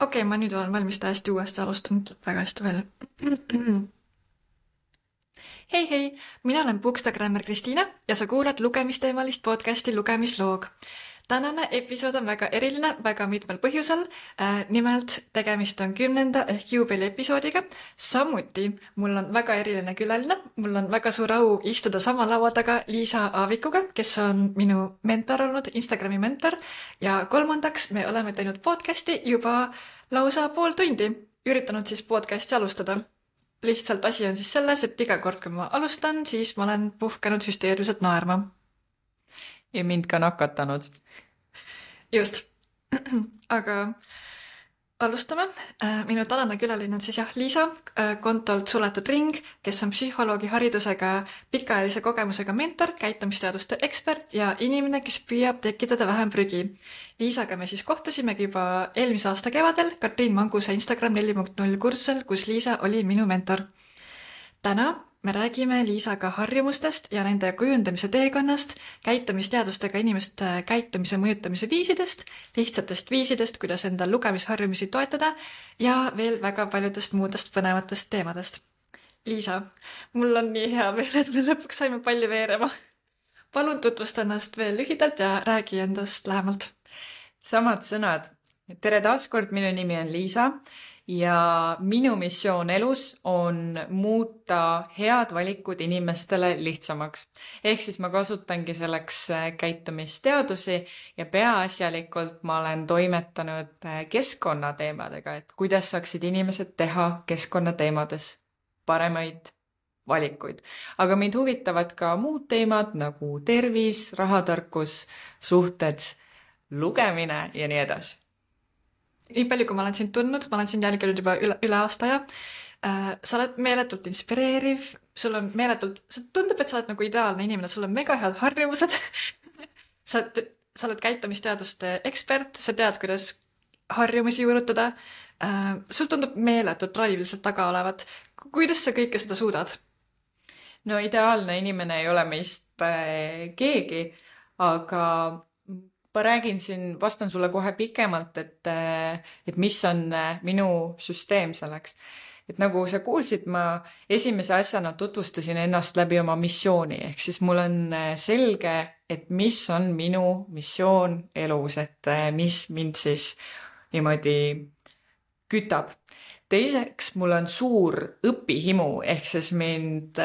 Okei, ma nüüd olen valmis täiesti uuesti alustanud väga hästi veel. Hei hei, mina olen Bookstagrammer Kristiina ja sa kuulad lugemisteemalist podcasti Lugemisloog. Tänane episood on väga eriline väga mitmel põhjusel. Nimelt tegemist on 10. ehk juubeli episoodiga. Samuti mul on väga eriline külaline. Mul on väga suur au istuda sama laua taga Liisa Aavikuga, kes on minu mentor olnud, Instagrami mentor. Ja kolmandaks me oleme teinud podcasti juba lausa pool tundi. Üritanud siis podcasti alustada. Lihtsalt asi on siis selles, et iga kord, kui ma alustan, siis ma olen puhkenud hüsteeriliselt naerma. Ja mind ka nakatanud. Just. Aga alustame. Minu tänane külaline on siis Liisa, kontolt Suletud Ring, kes on psühholoogi haridusega, pikaajalise kogemusega mentor, käitumisteaduste ekspert ja inimene, kes püüab tekitada vähem prügi. Liisaga me siis kohtusimegi juba eelmise aasta kevadel Katriin Manguse Instagram 4.0 kursusel, kus Liisa oli minu mentor. Täna me räägime Liisaga harjumustest ja nende kujundamise teekonnast, käitumisteadustega inimeste käitumise mõjutamise viisidest, lihtsatest viisidest, kuidas endal lugemisharjumusi toetada ja veel väga paljudest muudest põnevatest teemadest. Liisa, mul on nii hea meel, et me lõpuks saime palli veerema. Palun tutvusta ennast veel lühidalt ja räägi endast lähemalt. Samad sõnad. Tere taaskord, minu nimi on Liisa ja minu missioon elus on muuta head valikud inimestele lihtsamaks. Ehk siis ma kasutangi selleks käitumisteadusi ja peaasjalikult ma olen toimetanud keskkonnateemadega, et kuidas saaksid inimesed teha keskkonnateemades paremaid valikuid. Aga mind huvitavad ka muud teemad nagu tervis, rahatarkus, suhted, lugemine ja nii edasi. Nii palju, kui ma olen sind tundnud, ma olen sind jälginud juba üle aasta ja sa oled meeletult inspireeriv, sul on meeletult, tundub, et sa oled nagu ideaalne inimene, sul on mega head harjumused. sa oled käitumisteaduste ekspert, sa tead, kuidas harjumusi juurutada. Sul tundub meeletult drive lihtsalt taga olevat. Kuidas sa kõike seda suudad? No ideaalne inimene ei ole meist keegi, aga ma räägin siin, vastan sulle kohe pikemalt, et mis on minu süsteem selleks. Et nagu sa kuulsid, ma esimese asjana tutvustasin ennast läbi oma missiooni, ehk siis mul on selge, et mis on minu missioon elus, et mis mind siis niimoodi kütab. Teiseks, mul on suur õpihimu, ehk siis mind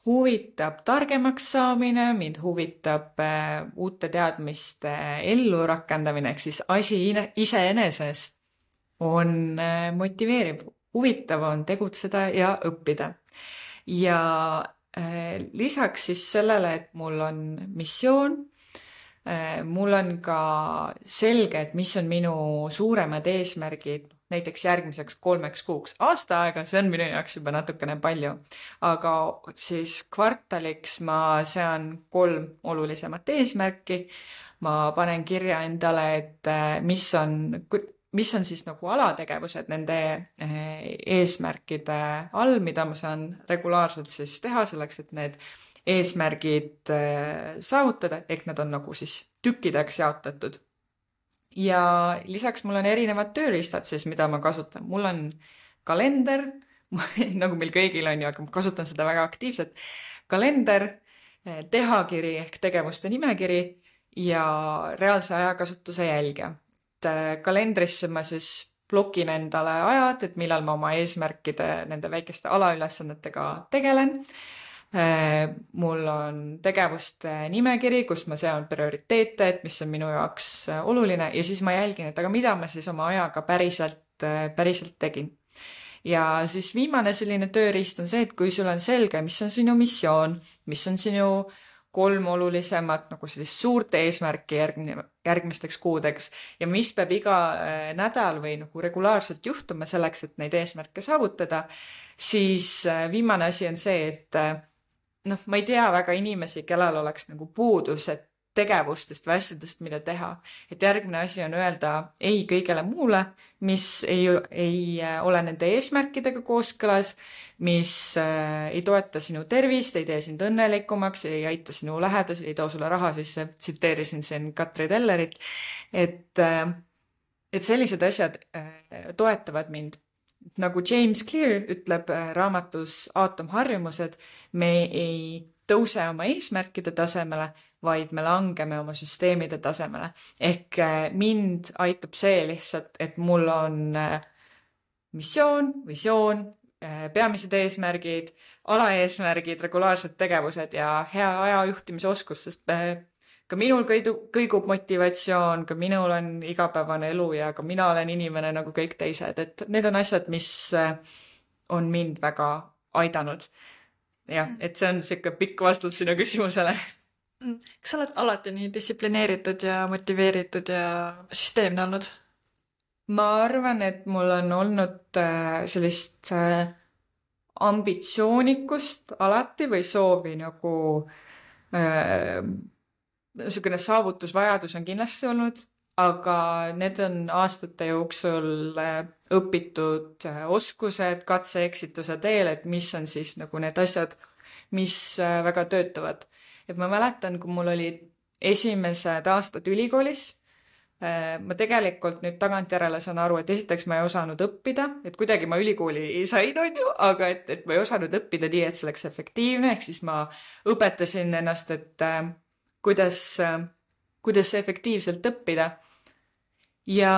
huvitab targemaks saamine, mind huvitab uute teadmiste ellu rakendamine, ehk siis asi iseeneses on motiveeriv, huvitav on tegutseda ja õppida. Ja lisaks siis sellele, et mul on missioon, mul on ka selge, et mis on minu suuremad eesmärgid, näiteks järgmiseks 3 kuuks. Aasta aega, see on minu jaoks juba natukene palju. Aga siis kvartaliks ma sean 3 olulisemat eesmärki. Ma panen kirja endale, et mis on siis nagu alategevused nende eesmärkide all, mida ma saan regulaarselt siis teha selleks, et need eesmärgid saavutada, ehk nad on nagu siis tükkideks jaotatud. Ja lisaks mul on erinevad tööriistad siis, mida ma kasutan. Mul on kalender, nagu meil kõigil on ju, aga ma kasutan seda väga aktiivselt. Kalender, tehakiri ehk tegevuste nimekiri ja reaalse ajakasutuse jälgija. Kalendrisse ma siis blokin endale ajad, et millal ma oma eesmärkide, nende väikeste alaülesannetega tegelen. Mul on tegevuste nimekiri, kus ma sean prioriteete, et mis on minu jaoks oluline ja siis ma jälgin, et aga mida ma siis oma ajaga päriselt tegin. Ja siis viimane selline tööriist on see, et kui sul on selge, mis on sinu missioon, mis on sinu 3 olulisemat nagu sellist suurt eesmärki järgmisteks kuudeks ja mis peab iga nädal või nagu regulaarselt juhtuma selleks, et neid eesmärke saavutada, siis viimane asi on see, et ma ei tea väga inimesi, kellel oleks nagu puudus, et tegevustest või asjadest, mida teha. Et järgmine asi on öelda ei kõigele muule, mis ei ole nende eesmärkidega kooskõlas, mis ei toeta sinu tervist, ei tee sind õnnelikumaks, ei aita sinu lähedasi, ei too sulle raha, siis tsiteerisin siin Katri Tellerit. Et et sellised asjad toetavad mind. Nagu James Clear ütleb raamatus Aatomharjumused, me ei tõuse oma eesmärkide tasemele, vaid me langeme oma süsteemide tasemele. Ehk mind aitab see lihtsalt, et mul on missioon, visioon, peamised eesmärgid, alaeesmärgid, regulaarsed tegevused ja hea ajajuhtimise oskus, sest ka minul kõigub motivatsioon, ka minul on igapäevane elu ja ka mina olen inimene nagu kõik teised, et need on asjad, mis on mind väga aidanud. Jah, et see on siuke pikk vastus sinu küsimusele. Kas sa oled alati nii distsiplineeritud ja motiveeritud ja süsteemne olnud? Ma arvan, et mul on olnud sellist ambitsioonikust alati või soovi nagu niisugune saavutusvajadus on kindlasti olnud, aga need on aastate jooksul õpitud oskused katse-eksituse teel, et mis on siis nagu need asjad, mis väga töötavad. Et ma mäletan, kui mul olid esimesed aastad ülikoolis, ma tegelikult nüüd tagantjärele saan aru, et esiteks ma ei osanud õppida, et kuidagi ma ülikooli sain, on ju, aga et ma ei osanud õppida nii, et see oleks efektiivne, ehk siis ma õpetasin ennast, et kuidas efektiivselt õppida. Ja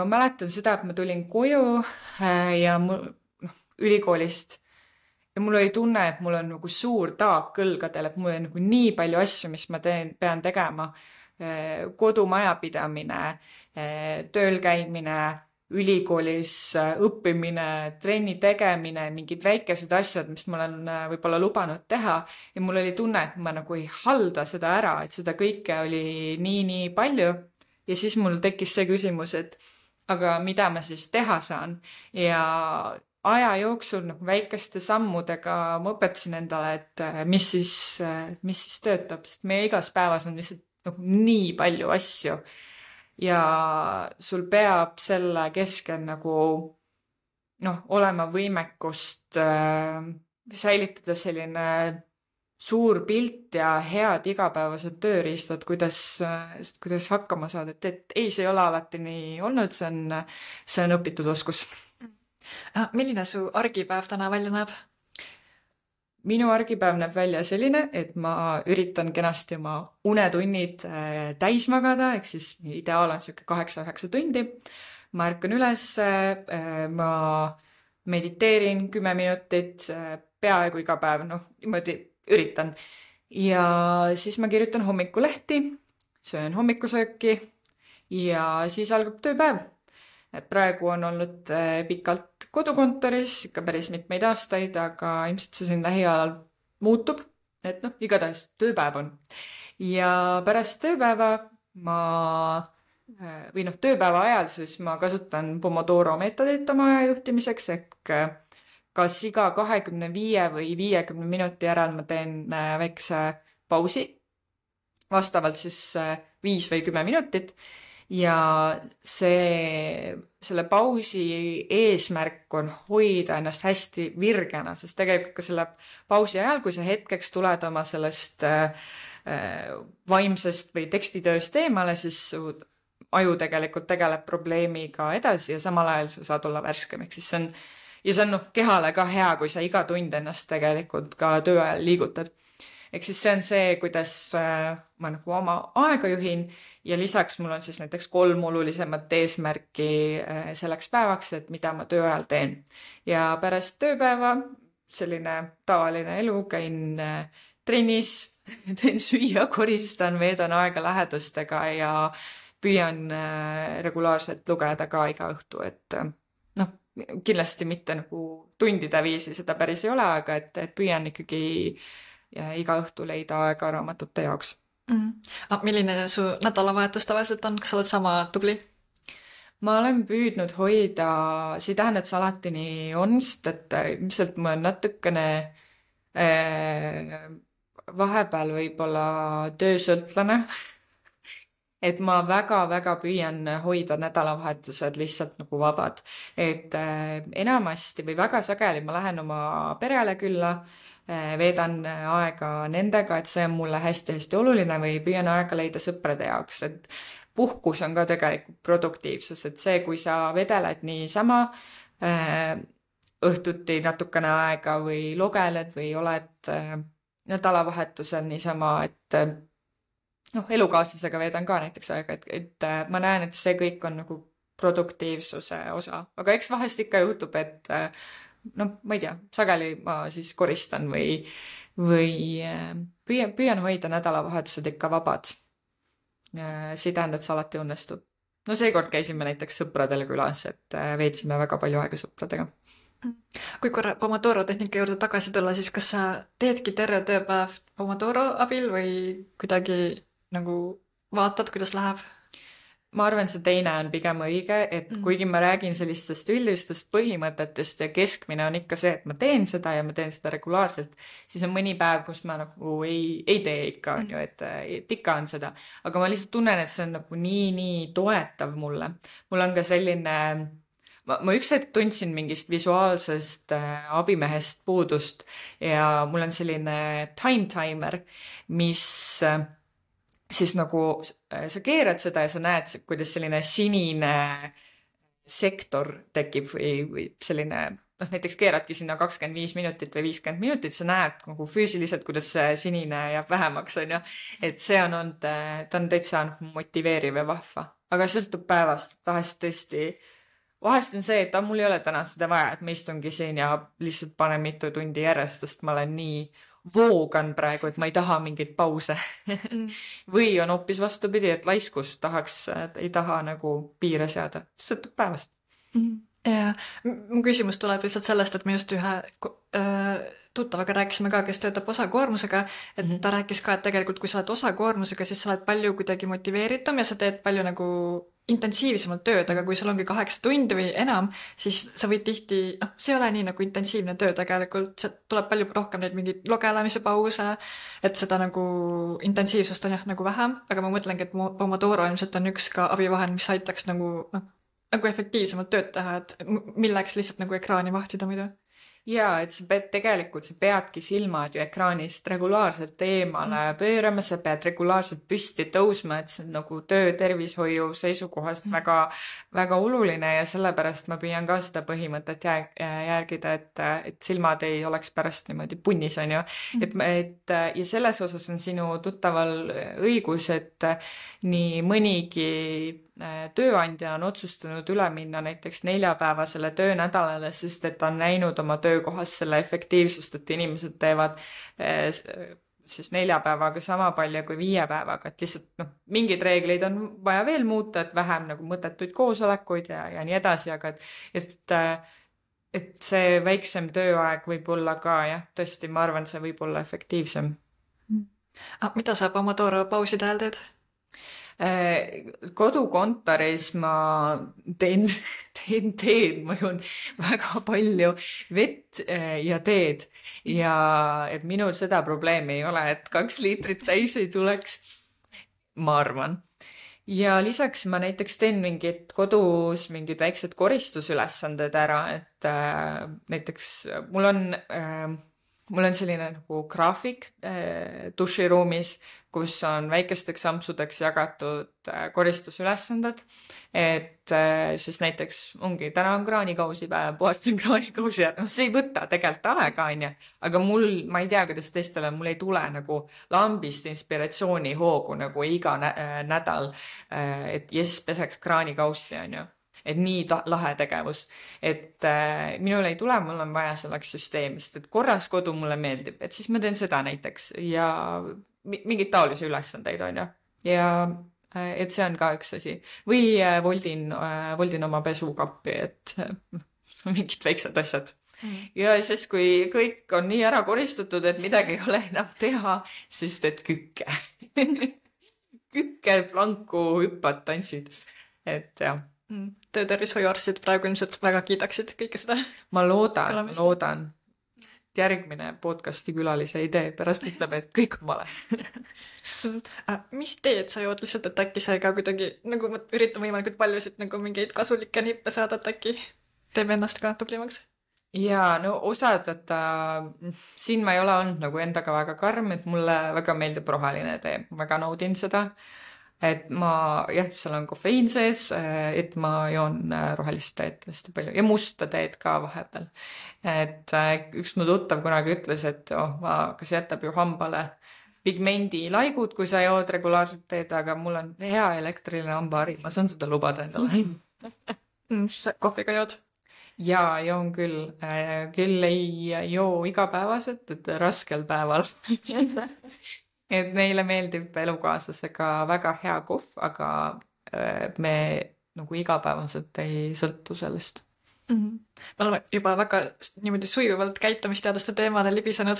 ma mäletan seda, et ma tulin koju ja ülikoolist ja mul oli tunne, et mul on nagu suur taak kõlgadel, et mul on nagu nii palju asju, mis ma pean tegema. Kodumajapidamine, tööl käimine, ülikoolis õppimine, trenni tegemine, mingid väikesed asjad, mis ma olen võib-olla lubanud teha ja mul oli tunne, et ma nagu ei halda seda ära, et seda kõike oli nii palju ja siis mul tekkis see küsimus, et aga mida ma siis teha saan ja aja jooksul nagu väikeste sammudega ma õpetasin endale, et mis siis töötab, sest meie igas päevas on lihtsalt nagu nii palju asju ja sul peab selle keskel nagu olema võimekust säilitada selline suur pilt ja head igapäevased tööriistad, kuidas hakkama saada, et ei, see ei ole alati nii olnud, see on õpitud oskus. Milline su argipäev täna välja näeb? Minu argipäev näeb välja selline, et ma üritan kenasti oma unetunnid täis magada, ehk siis ideaal on siuke 8-9 tundi. Ma ärkan üles, ma mediteerin 10 minutit, peaaegu iga päev, niimoodi üritan. Ja siis ma kirjutan hommikulehti, söön hommikusööki ja siis algab tööpäev. Et praegu on olnud pikalt kodukontoris, ikka päris mitmeid aastaid, aga ilmselt see siin lähiajal muutub, et igatahes tööpäev on. Ja pärast tööpäeva tööpäeva ajal siis ma kasutan Pomodoro meetodit oma aja juhtimiseks, ehk kas iga 25 või 50 minuti järel ma teen väikse pausi, vastavalt siis 5 või 10 minutit. Ja selle pausi eesmärk on hoida ennast hästi virgena, sest tegelikult ka selle pausi ajal, kui sa hetkeks tuled oma sellest vaimsest või tekstitööst eemale, siis su aju tegelikult tegeleb probleemiga edasi ja samal ajal sa saad olla värskem, ehk siis see on kehale ka hea, kui sa iga tund ennast tegelikult ka töö ajal liigutad. Ehk siis see on see, kuidas ma nagu oma aega juhin ja lisaks mul on siis näiteks 3 olulisemat eesmärki selleks päevaks, et mida ma töö ajal teen. Ja pärast tööpäeva selline tavaline elu, käin trennis, teen süüa, koristan, veedan aega lähedastega ja püüan regulaarselt lugeda ka iga õhtu, et kindlasti mitte nagu tundide viisi, seda päris ei ole, aga et püüan ikkagi iga õhtu leida aega raamatute jaoks. Milline su nädalavahetus tavaliselt on? Kas sa oled sama tubli? Ma olen püüdnud hoida, see ei tähenda, et see alati nii on, sest et ilmselt ma olen natukene vahepeal võib-olla töösõltlane. Et ma väga-väga püüan hoida nädalavahetused lihtsalt nagu vabad. Et enamasti või väga sageli ma lähen oma perele külla, veedan aega nendega, et see on mulle hästi-hästi oluline või püüan aega leida sõprade jaoks, et puhkus on ka tegelikult produktiivsus, et see, kui sa vedeled niisama õhtuti natukene aega või logeled või oled nädalavahetusel niisama, et elukaaslasega veedan ka näiteks aega, et ma näen, et see kõik on nagu produktiivsuse osa, aga eks vahest ikka juhtub, et ma ei tea, sageli ma siis koristan või püüan hoida nädalavahetused ikka vabad. See ei tähenda, et see alati õnnestub. No seekord käisime näiteks sõpradele külas, et veetsime väga palju aega sõpradega. Kui korra Pomodoro tehnika juurde tagasi tulla, siis kas sa teedki terve tööpäev Pomodoro abil või kuidagi nagu vaatad, kuidas läheb? Ma arvan, see teine on pigem õige, et kuigi ma räägin sellistest üldistest põhimõtetest ja keskmine on ikka see, et ma teen seda ja ma teen seda regulaarselt, siis on mõni päev, kus ma nagu ei tee ikka, on ju, et ikka on seda. Aga ma lihtsalt tunnen, et see on nagu nii toetav mulle. Mul on ka selline, ma üks hetk tundsin mingist visuaalsest abimehest puudust ja mul on selline time timer, mis siis nagu sa keerad seda ja sa näed, kuidas selline sinine sektor tekib või selline, näiteks keeradki sinna 25 minutit või 50 minutit, sa näed nagu füüsiliselt, kuidas see sinine jääb vähemaks, on ju. Et see on olnud, ta on täitsa motiveeriv ja vahva. Aga sõltub päevast, vahest on see, et mul ei ole täna seda vaja, et ma istungi siin ja lihtsalt panen mitu tundi järjest, sest ma olen nii voogan praegu, et ma ei taha mingeid pause. Või on hoopis vastupidi, et laiskus ei taha nagu piire seada. Sõltub päevast. Ja mu küsimus tuleb lihtsalt sellest, et me just ühe tuttavaga rääkisime ka, kes töötab osakoormusega, et ta rääkis ka, et tegelikult kui sa oled osakoormusega, siis sa oled palju kuidagi motiveeritum ja sa teed palju nagu intensiivsemalt tööd, aga kui sul ongi 8 tundi või enam, siis sa võid tihti, see ei ole nii nagu intensiivne töö tegelikult, see tuleb palju rohkem neid mingeid logelamise pause, et seda nagu intensiivsust on jah nagu vähem, aga ma mõtlengi, et Pomodoro ilmselt on üks ka abivahend, mis aitaks nagu efektiivsemalt tööd teha, et milleks lihtsalt nagu ekraani vahtida muidu. Jaa, et sa peadki silmad ju ekraanist regulaarselt eemale pöörama, sa pead regulaarselt püsti tõusma, et see on nagu töötervishoiu seisukohast väga, väga oluline ja sellepärast ma püüan ka seda põhimõtet järgida, et silmad ei oleks pärast niimoodi punnis, on ju. Ja selles osas on sinu tuttaval õigus, et nii mõnigi tööandja on otsustanud üle minna näiteks 4-päevasele töönädalale, sest et ta on näinud oma töökohas selle efektiivsust, et inimesed teevad siis 4 päevaga sama palju kui 5 päevaga, et lihtsalt mingid reegleid on vaja veel muuta, et vähem nagu mõttetuid koosolekuid ja nii edasi, aga et see väiksem tööaeg võib olla ka jah, tõesti, ma arvan, see võib olla efektiivsem. Mida sa Pomodoro pauside ajal teed? Kodukontoris ma teen teed, ma joon väga palju vett ja teed ja et minul seda probleemi ei ole, et 2 liitrit täis ei tuleks, ma arvan. Ja lisaks ma näiteks teen kodus mingid väiksed koristusülesanded ära, et näiteks mul on selline nagu graafik duširuumis, kus on väikesteks ampsudeks jagatud koristusülesanded, et siis näiteks ongi, täna on kraanikausipäev, puhastan kraanikausi ja see ei võta tegelikult aega, on ju, aga ma ei tea, kuidas teistele, mul ei tule nagu lambist inspiratsiooni hoogu nagu iga nädal, et peseks kraanikausi, on ju. Et nii lahe tegevus, et minul ei tule, mul on vaja selleks süsteemist, et korras kodu mulle meeldib, et siis ma teen seda näiteks ja mingid taolisi ülesandeid on ju. Ja et see on ka üks asi. Või voldin oma pesukappi, et mingid väiksed asjad. Ja siis, kui kõik on nii ära koristatud, et midagi ei ole enam teha, siis teed kükke. Kükke, planku, hüppad, tantsid. Et jah. Töötervishoiuarstid praegu ilmselt väga kiidaksid kõike seda. Ma loodan. Järgmine podcasti külalise idee pärast ütleb, et kõik on vale. Mis teed sa jood lihtsalt, et äkki sa ka kuidagi, nagu ma üritan võimalikult paljusid nagu mingeid kasulikke nippe saada, et äkki teeb ennast ka tublimaks? Jaa, no osad, et siin ma ei ole olnud nagu endaga väga karm, et mulle väga meeldib roheline tee, väga naudin seda. et jah, seal on kofeiin sees, et ma joon rohelist teed hästi palju ja musta teed ka vahepeal. Et üks mu tuttav kunagi ütles, et kas jätab ju hambale pigmendilaigud, kui sa jood regulaarset teed, aga mul on hea elektriline hambahari, ma saan seda lubada endale. Sa kohviga jood? Jaa, joon küll. Küll ei joo igapäevaselt, et raskel päeval. Et meile meeldib elukaaslasega väga hea kohv, aga me nagu igapäevaselt ei sõltu sellest. Me oleme juba väga niimoodi sujuvalt käitumisteaduste teemale libisenud.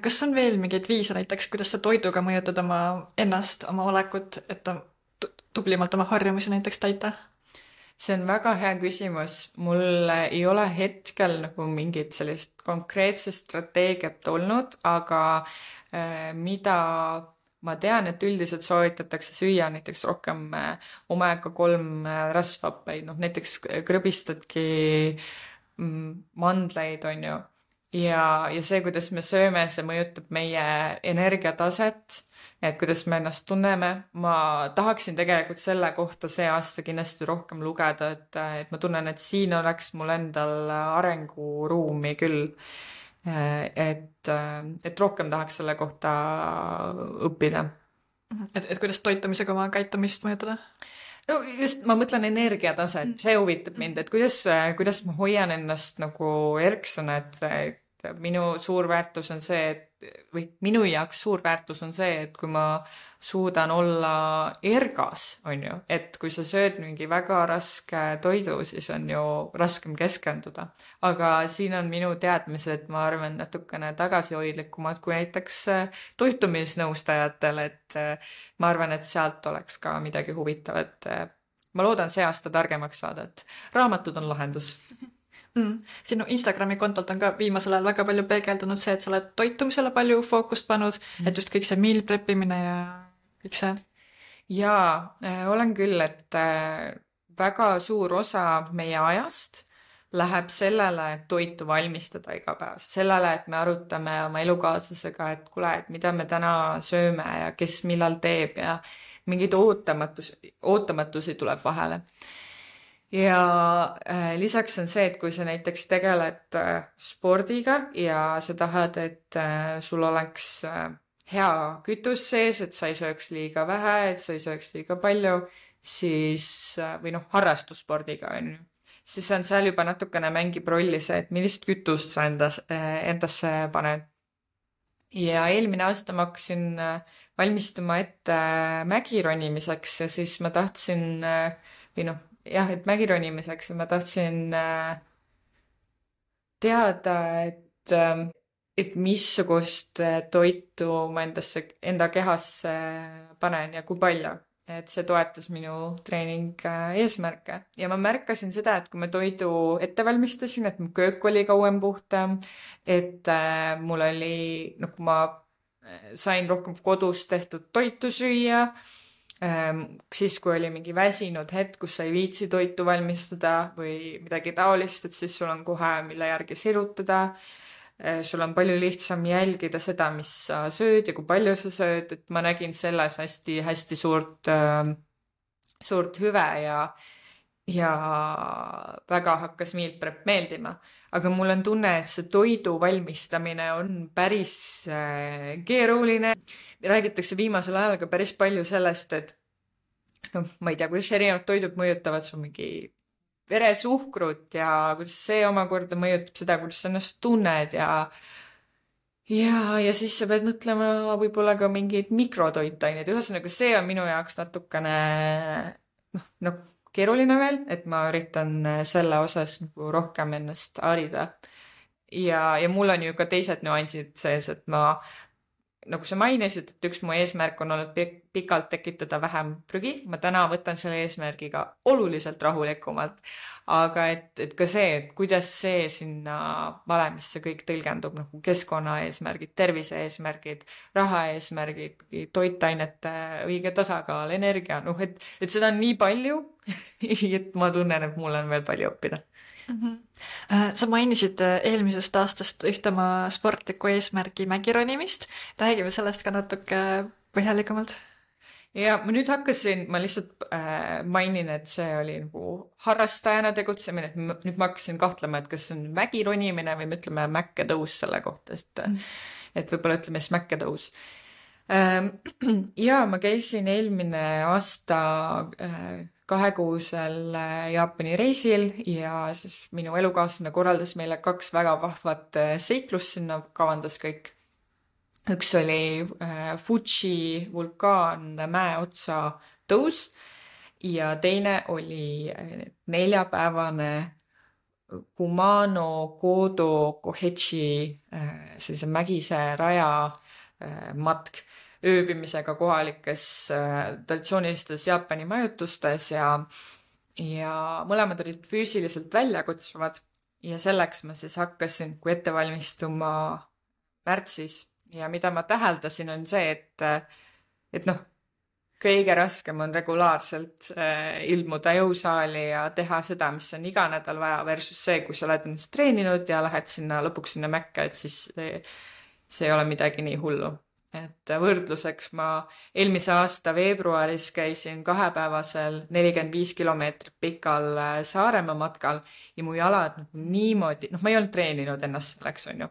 Kas on veel mingeid viise näiteks, kuidas sa toiduga mõjutad oma ennast, oma olekut, et tublimalt oma harjumusi näiteks täita? See on väga hea küsimus. Mul ei ole hetkel nagu mingit sellist konkreetset strateegiat olnud, aga mida ma tean, et üldiselt soovitatakse süüa näiteks rohkem omega-3 rasvhappeid, näiteks krõbistadki mandleid, on ju. Ja see, kuidas me sööme, see mõjutab meie energiataset, et kuidas me ennast tunneme. Ma tahaksin tegelikult selle kohta see aasta kindlasti rohkem lugeda, et ma tunnen, et siin oleks mul endal arenguruumi küll. Et rohkem tahaks selle kohta õppida. Et kuidas toitumisega oma käitumist mõjutada? No just, ma mõtlen energiataset, see huvitab mind, et kuidas ma hoian ennast nagu erksana, et minu suur väärtus on see, või minu jaoks suur väärtus on see, et kui ma suudan olla ergas, on ju, et kui sa sööd mingi väga raske toidu, siis on ju raskem keskenduda. Aga siin on minu teadmised, ma arvan, natukene tagasihoidlikumad kui näiteks toitumisnõustajatel, et ma arvan, et sealt oleks ka midagi huvitavat. Ma loodan see aasta targemaks saada, et raamatud on lahendus. Sinu Instagrami kontolt on ka viimasel ajal väga palju peegeldunud see, et sa oled toitumisele palju fookust pannud, et just kõik see meal preppimine ja kõik see. Jaa, olen küll, et väga suur osa meie ajast läheb sellele, et toitu valmistada iga päev. Sellele, et me arutame oma elukaaslasega, et kuule, et mida me täna sööme ja kes millal teeb ja mingeid ootamatusi tuleb vahele. Ja lisaks on see, et kui sa näiteks tegeled spordiga ja sa tahad, et sul oleks hea kütus sees, et sa ei sööks liiga vähe, et sa ei sööks liiga palju, siis, või harrastusspordiga on ju, siis on seal juba natukene mängib rolli see, et millist kütust sa endasse paned. Ja eelmine aasta ma hakkasin valmistuma ette mägironimiseks ja siis ma tahtsin, et mägironimiseks ma tahtsin teada, et missugust toitu ma enda kehasse panen ja kui palju. Et see toetas minu treening eesmärke. Ja ma märkasin seda, et kui ma toidu ette valmistasin, et mu köök oli kauem puhtam, et mul oli, kui ma sain rohkem kodus tehtud toitu süüa, siis kui oli mingi väsinud hetk, kus sa ei viitsi toitu valmistada või midagi taolist, et siis sul on kohe mille järgi sirutada. Sul on palju lihtsam jälgida seda, mis sa sööd ja kui palju sa sööd, et ma nägin selles hästi suurt hüve ja väga hakkas meal prep meeldima. Aga mul on tunne, et see toidu valmistamine on päris keeruline. Räägitakse viimasel ajal ka päris palju sellest, et ma ei tea, kuidas erinevad toidud mõjutavad su mingi veresuhkrut ja kuidas see omakorda mõjutab seda, kuidas sa ennast tunned ja siis sa pead mõtlema võib-olla ka mingeid mikrotoitaineid. Ühesõnaga, see on minu jaoks natukene keeruline veel, et ma üritan selle osas rohkem ennast harida. Ja mul on ju ka teised nüansid sees, et ma nagu sa mainisid, et üks mu eesmärk on olnud pikalt tekitada vähem prügi. Ma täna võtan selle eesmärgiga oluliselt rahulikumalt. Aga et ka see, et kuidas see sinna valemisse kõik tõlgendub, nagu keskkonna eesmärgid, tervise eesmärgid, raha eesmärgid, toitainete õige tasakaal, energia, et seda on nii palju, et ma tunnen, et mul on veel palju õppida. Sa mainisid eelmisest aastast ühte oma sportliku eesmärgi mägironimist. Räägime sellest ka natuke põhjalikumalt. Ja ma nüüd ma lihtsalt mainin, et see oli nagu harrastajana tegutsemine, et nüüd ma hakkasin kahtlema, et kas see on mägironimine või me ütleme mäkketõus selle kohta, et võib-olla ütleme siis mäkketõus. Ja ma käisin eelmine aasta 2-kuusel Jaapani reisil ja siis minu elukaaslane korraldas meile 2 väga vahvat seiklust sinna, kavandas kõik. Üks oli Fuji vulkaan mäeotsa tõus ja teine oli 4-päevane Kumano Kodo Kohechi sellise mägise raja matk ööbimisega kohalikes traditsioonilistes Jaapani majutustes ja mõlemad olid füüsiliselt väljakutsuvad ja selleks ma siis hakkasin ette valmistuma märtsis. Ja mida ma täheldasin on see, et noh, kõige raskem on regulaarselt ilmuda jõusaali ja teha seda, mis on iga nädal vaja versus see, kui sa oled ennast treeninud ja lähed lõpuks sinna mäkke, et siis see ei ole midagi nii hullu. Et võrdluseks ma eelmise aasta veebruaris käisin 2-päevasel 45 kilomeetrit pikal Saaremaa matkal ja mu jalad niimoodi, ma ei olnud treeninud ennast selleks, on ju.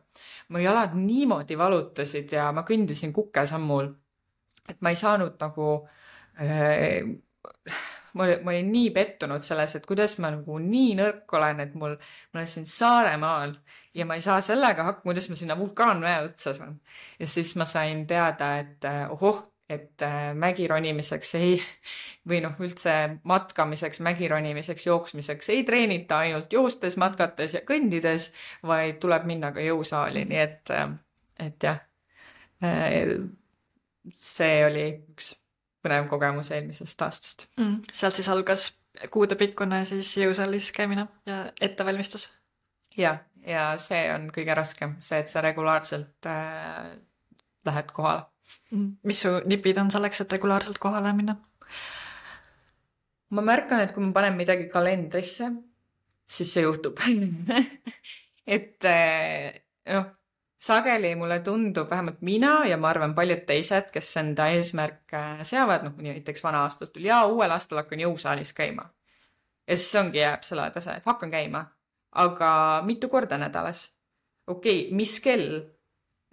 Mu jalad niimoodi valutasid ja ma kõndisin kukesammul, et ma ei saanud nagu, ma olin nii pettunud selles, et kuidas ma nagu nii nõrk olen, et mul olen siin Saaremaal ja ma ei saa sellega hakkama, kuidas ma sinna vulkaanmäe otsas on. Ja siis ma sain teada, et mägironimiseksvõi üldse matkamiseks, mägironimiseks, jooksmiseks ei treenita ainult joostes, matkates ja kõndides, vaid tuleb minna ka jõusaali. Nii et jah, see oli üks põnev kogemus eelmisest aastast. Sealt siis algas kuudepikkune siis jõusaalis käimine ja ettevalmistus. Ja see on kõige raskem, see, et sa regulaarselt lähed kohale. Mis su nipid on selleks, et regulaarselt kohale minna? Ma märkan, et kui ma panen midagi kalendrisse, siis see juhtub. Et sageli mulle tundub, vähemalt mina ja ma arvan paljud teised, kes enda eesmärke seavad, näiteks vana aastat tuli ja uuel aastal hakkan jõusaalis käima. Ja siis ongi jääb selle tase, et hakkan käima, aga mitu korda nädalas. Okei, mis kell?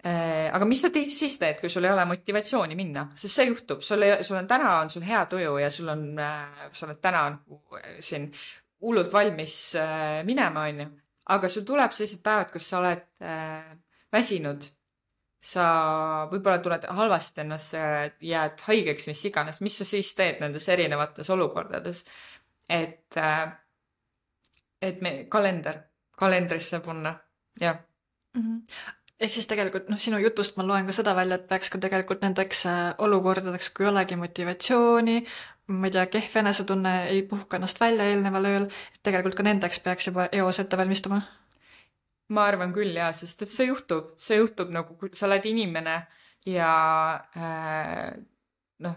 Aga mis sa siis teed, kui sul ei ole motivatsiooni minna? Sest see juhtub, täna on sul hea tuju ja sa oled täna siin hullult valmis minema, on ju. Aga sul tuleb sellised päevad, kus sa oled väsinud, sa võib-olla tuled halvasti ennast, jääd haigeks, mis iganes, mis sa siis teed nendes erinevates olukordades, et me kalendrisse panna, jah. Ehk siis tegelikult sinu jutust ma loen ka seda välja, et peaks ka tegelikult nendeks olukordadeks, kui olegi motivatsiooni, ma ei tea, kehv enesetunne ei puhka ennast välja eelneval ööl, et tegelikult ka nendeks peaks juba eos ette valmistuma. Ma arvan küll, jah, sest et see juhtub nagu, kui sa oled inimene ja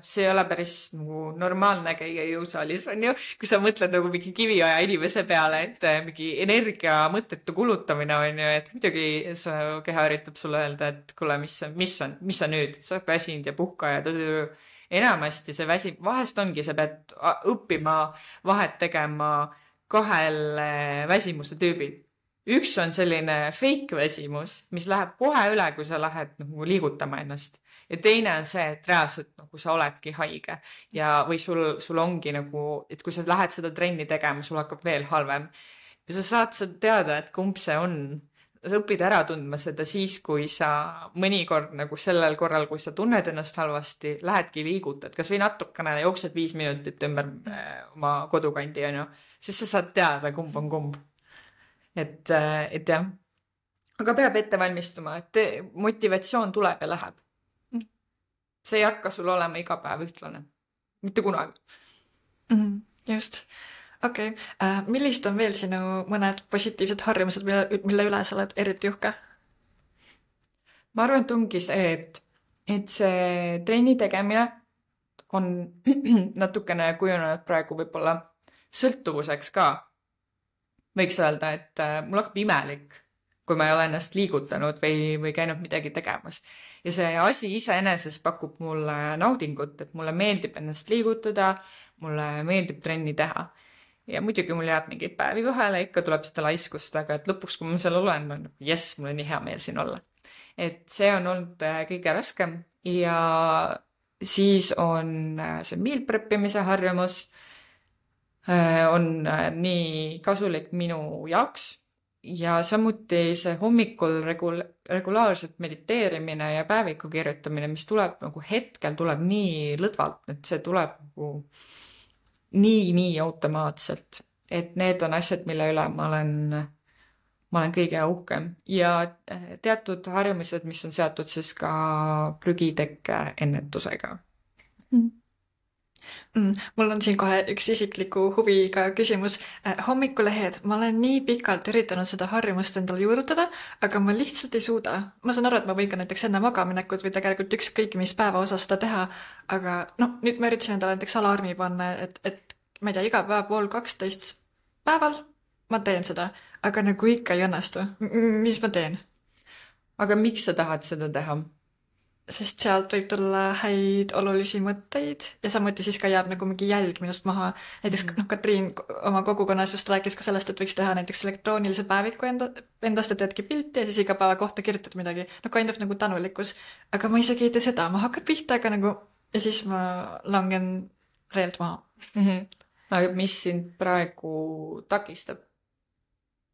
see ei ole päris nagu normaalne käia jõusaalis, on ju, kui sa mõtled nagu mingi kiviaja inimese peale, et mingi energia mõttetu kulutamine on ju, et muidugi su keha üritab sulle öelda, et kuule, mis sa nüüd, sa oled väsinud ja puhka ja enamasti see väsib, vahest ongi, sa pead õppima vahet tegema 2 väsimuse tüübil. Üks on selline fake väsimus, mis läheb kohe üle, kui sa lähed nagu liigutama ennast. Ja teine on see, et reaalselt nagu sa oledki haige või sul ongi nagu, et kui sa lähed seda trenni tegema, sul hakkab veel halvem. Ja sa saad teada, et kumb see on. Sa õpid ära tundma seda siis, kui sa mõnikord nagu sellel korral, kui sa tunned ennast halvasti, lähedki liigutad, kas või natukene jooksed 5 minutit ümber oma kodukandi, on ju, siis sa saad teada, kumb on kumb. Et jah, aga peab ette valmistuma, et motivatsioon tuleb ja läheb. See ei hakka sul olema iga päev ühtlane. Mitte kunagi. Just. Okei. Millised on veel sinu mõned positiivsed harjumused, mille üle sa oled eriti uhke? Ma arvan, et ongi see, et see trenni tegemine on natukene kujunenud praegu võib-olla sõltuvuseks ka. Võiks öelda, et mul hakkab imelik, kui ma ei ole ennast liigutanud või käinud midagi tegemas. ja see asi iseenesest pakub mulle naudingut, et mulle meeldib ennast liigutada, mulle meeldib trenni teha. Ja muidugi mul jääb mingeid päevi vahele, ikka tuleb seda laiskust, aga et lõpuks, kui ma seal olen, on jess, mul on nii hea meel siin olla. Et see on olnud kõige raskem ja siis on see meal preppimise harjumus on nii kasulik minu jaoks ja samuti see hommikul regulaarselt mediteerimine ja päeviku kirjutamine, mis tuleb nagu hetkel tuleb nii lõdvalt, et see tuleb nagu nii automaatselt, et need on asjad, mille üle ma olen kõige uhkem ja teatud harjumused, mis on seotud siis ka prügitekke ennetusega. Mul on siin kohe üks isikliku huviga küsimus. Hommikulehed, ma olen nii pikalt üritanud seda harjumust endale juurutada, aga ma lihtsalt ei suuda. Ma saan aru, et ma võin ka näiteks enne magaminekut või tegelikult ükskõik mis päeva osas seda teha, aga nüüd ma üritasin endale näiteks alarmi panna, et ma ei tea, iga päev 11:30 päeval ma teen seda, aga nagu ikka ei õnnestu. Mis ma teen? Aga miks sa tahad seda teha? Sest sealt võib tulla häid olulisi mõtteid ja samuti siis ka jääb nagu mingi jälg minust maha. Näiteks Katriin oma kogukonnas just rääkis ka sellest, et võiks teha näiteks elektroonilise päeviku endast, et teedki pilti ja siis iga päeva kohta kirjutad midagi. Kind of nagu tänulikkus. Aga ma isegi ei tee seda, ma hakkan pihta, aga nagu ja siis ma langen reelt maha. Aga mis sind praegu takistab?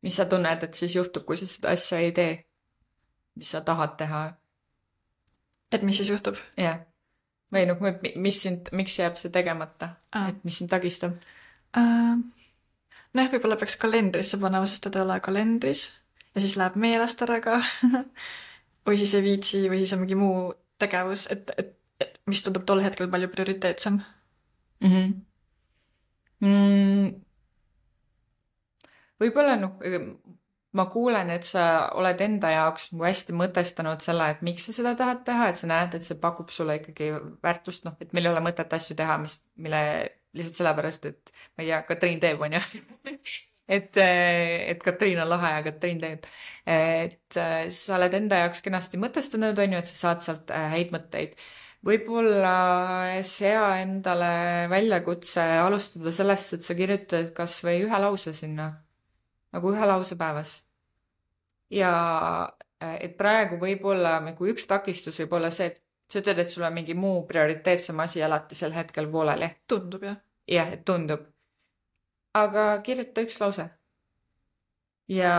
Mis sa tunned, et siis juhtub, kui sa seda asja ei tee? Mis sa tahad teha? Et mis siis juhtub? Jah. Või miks jääb see tegemata? Et mis sind tagistab? Võib-olla peaks kalendrisse panema, sest ta ei ole kalendris. Ja siis läheb meelest ära ka. Või siis ei viitsi, või siis on mingi muu tegevus, et mis tundub tol hetkel palju prioriteetsem. Võib-olla ma kuulen, et sa oled enda jaoks hästi mõtestanud selle, et miks sa seda tahad teha, et sa näed, et see pakub sulle ikkagi väärtust, et meil ei ole mõtet asju teha, mille lihtsalt sellepärast, et ma ei tea, Katriin teeb, on ju. et Katriin on lahe ja Katriin teeb. Et sa oled enda jaoks kenasti mõtestanud, on ju, et sa saad sealt häid mõtteid. Võib-olla sea endale väljakutse alustada sellest, et sa kirjutad kas või ühe lause sinna. Nagu ühe lause päevas. Ja et praegu võib-olla nagu üks takistus võib olla see, et sa ütled, et sul on mingi muu prioriteetsem asi alati sel hetkel pooleli. Tundub, jah. Jah, et tundub. Aga kirjuta üks lause. Ja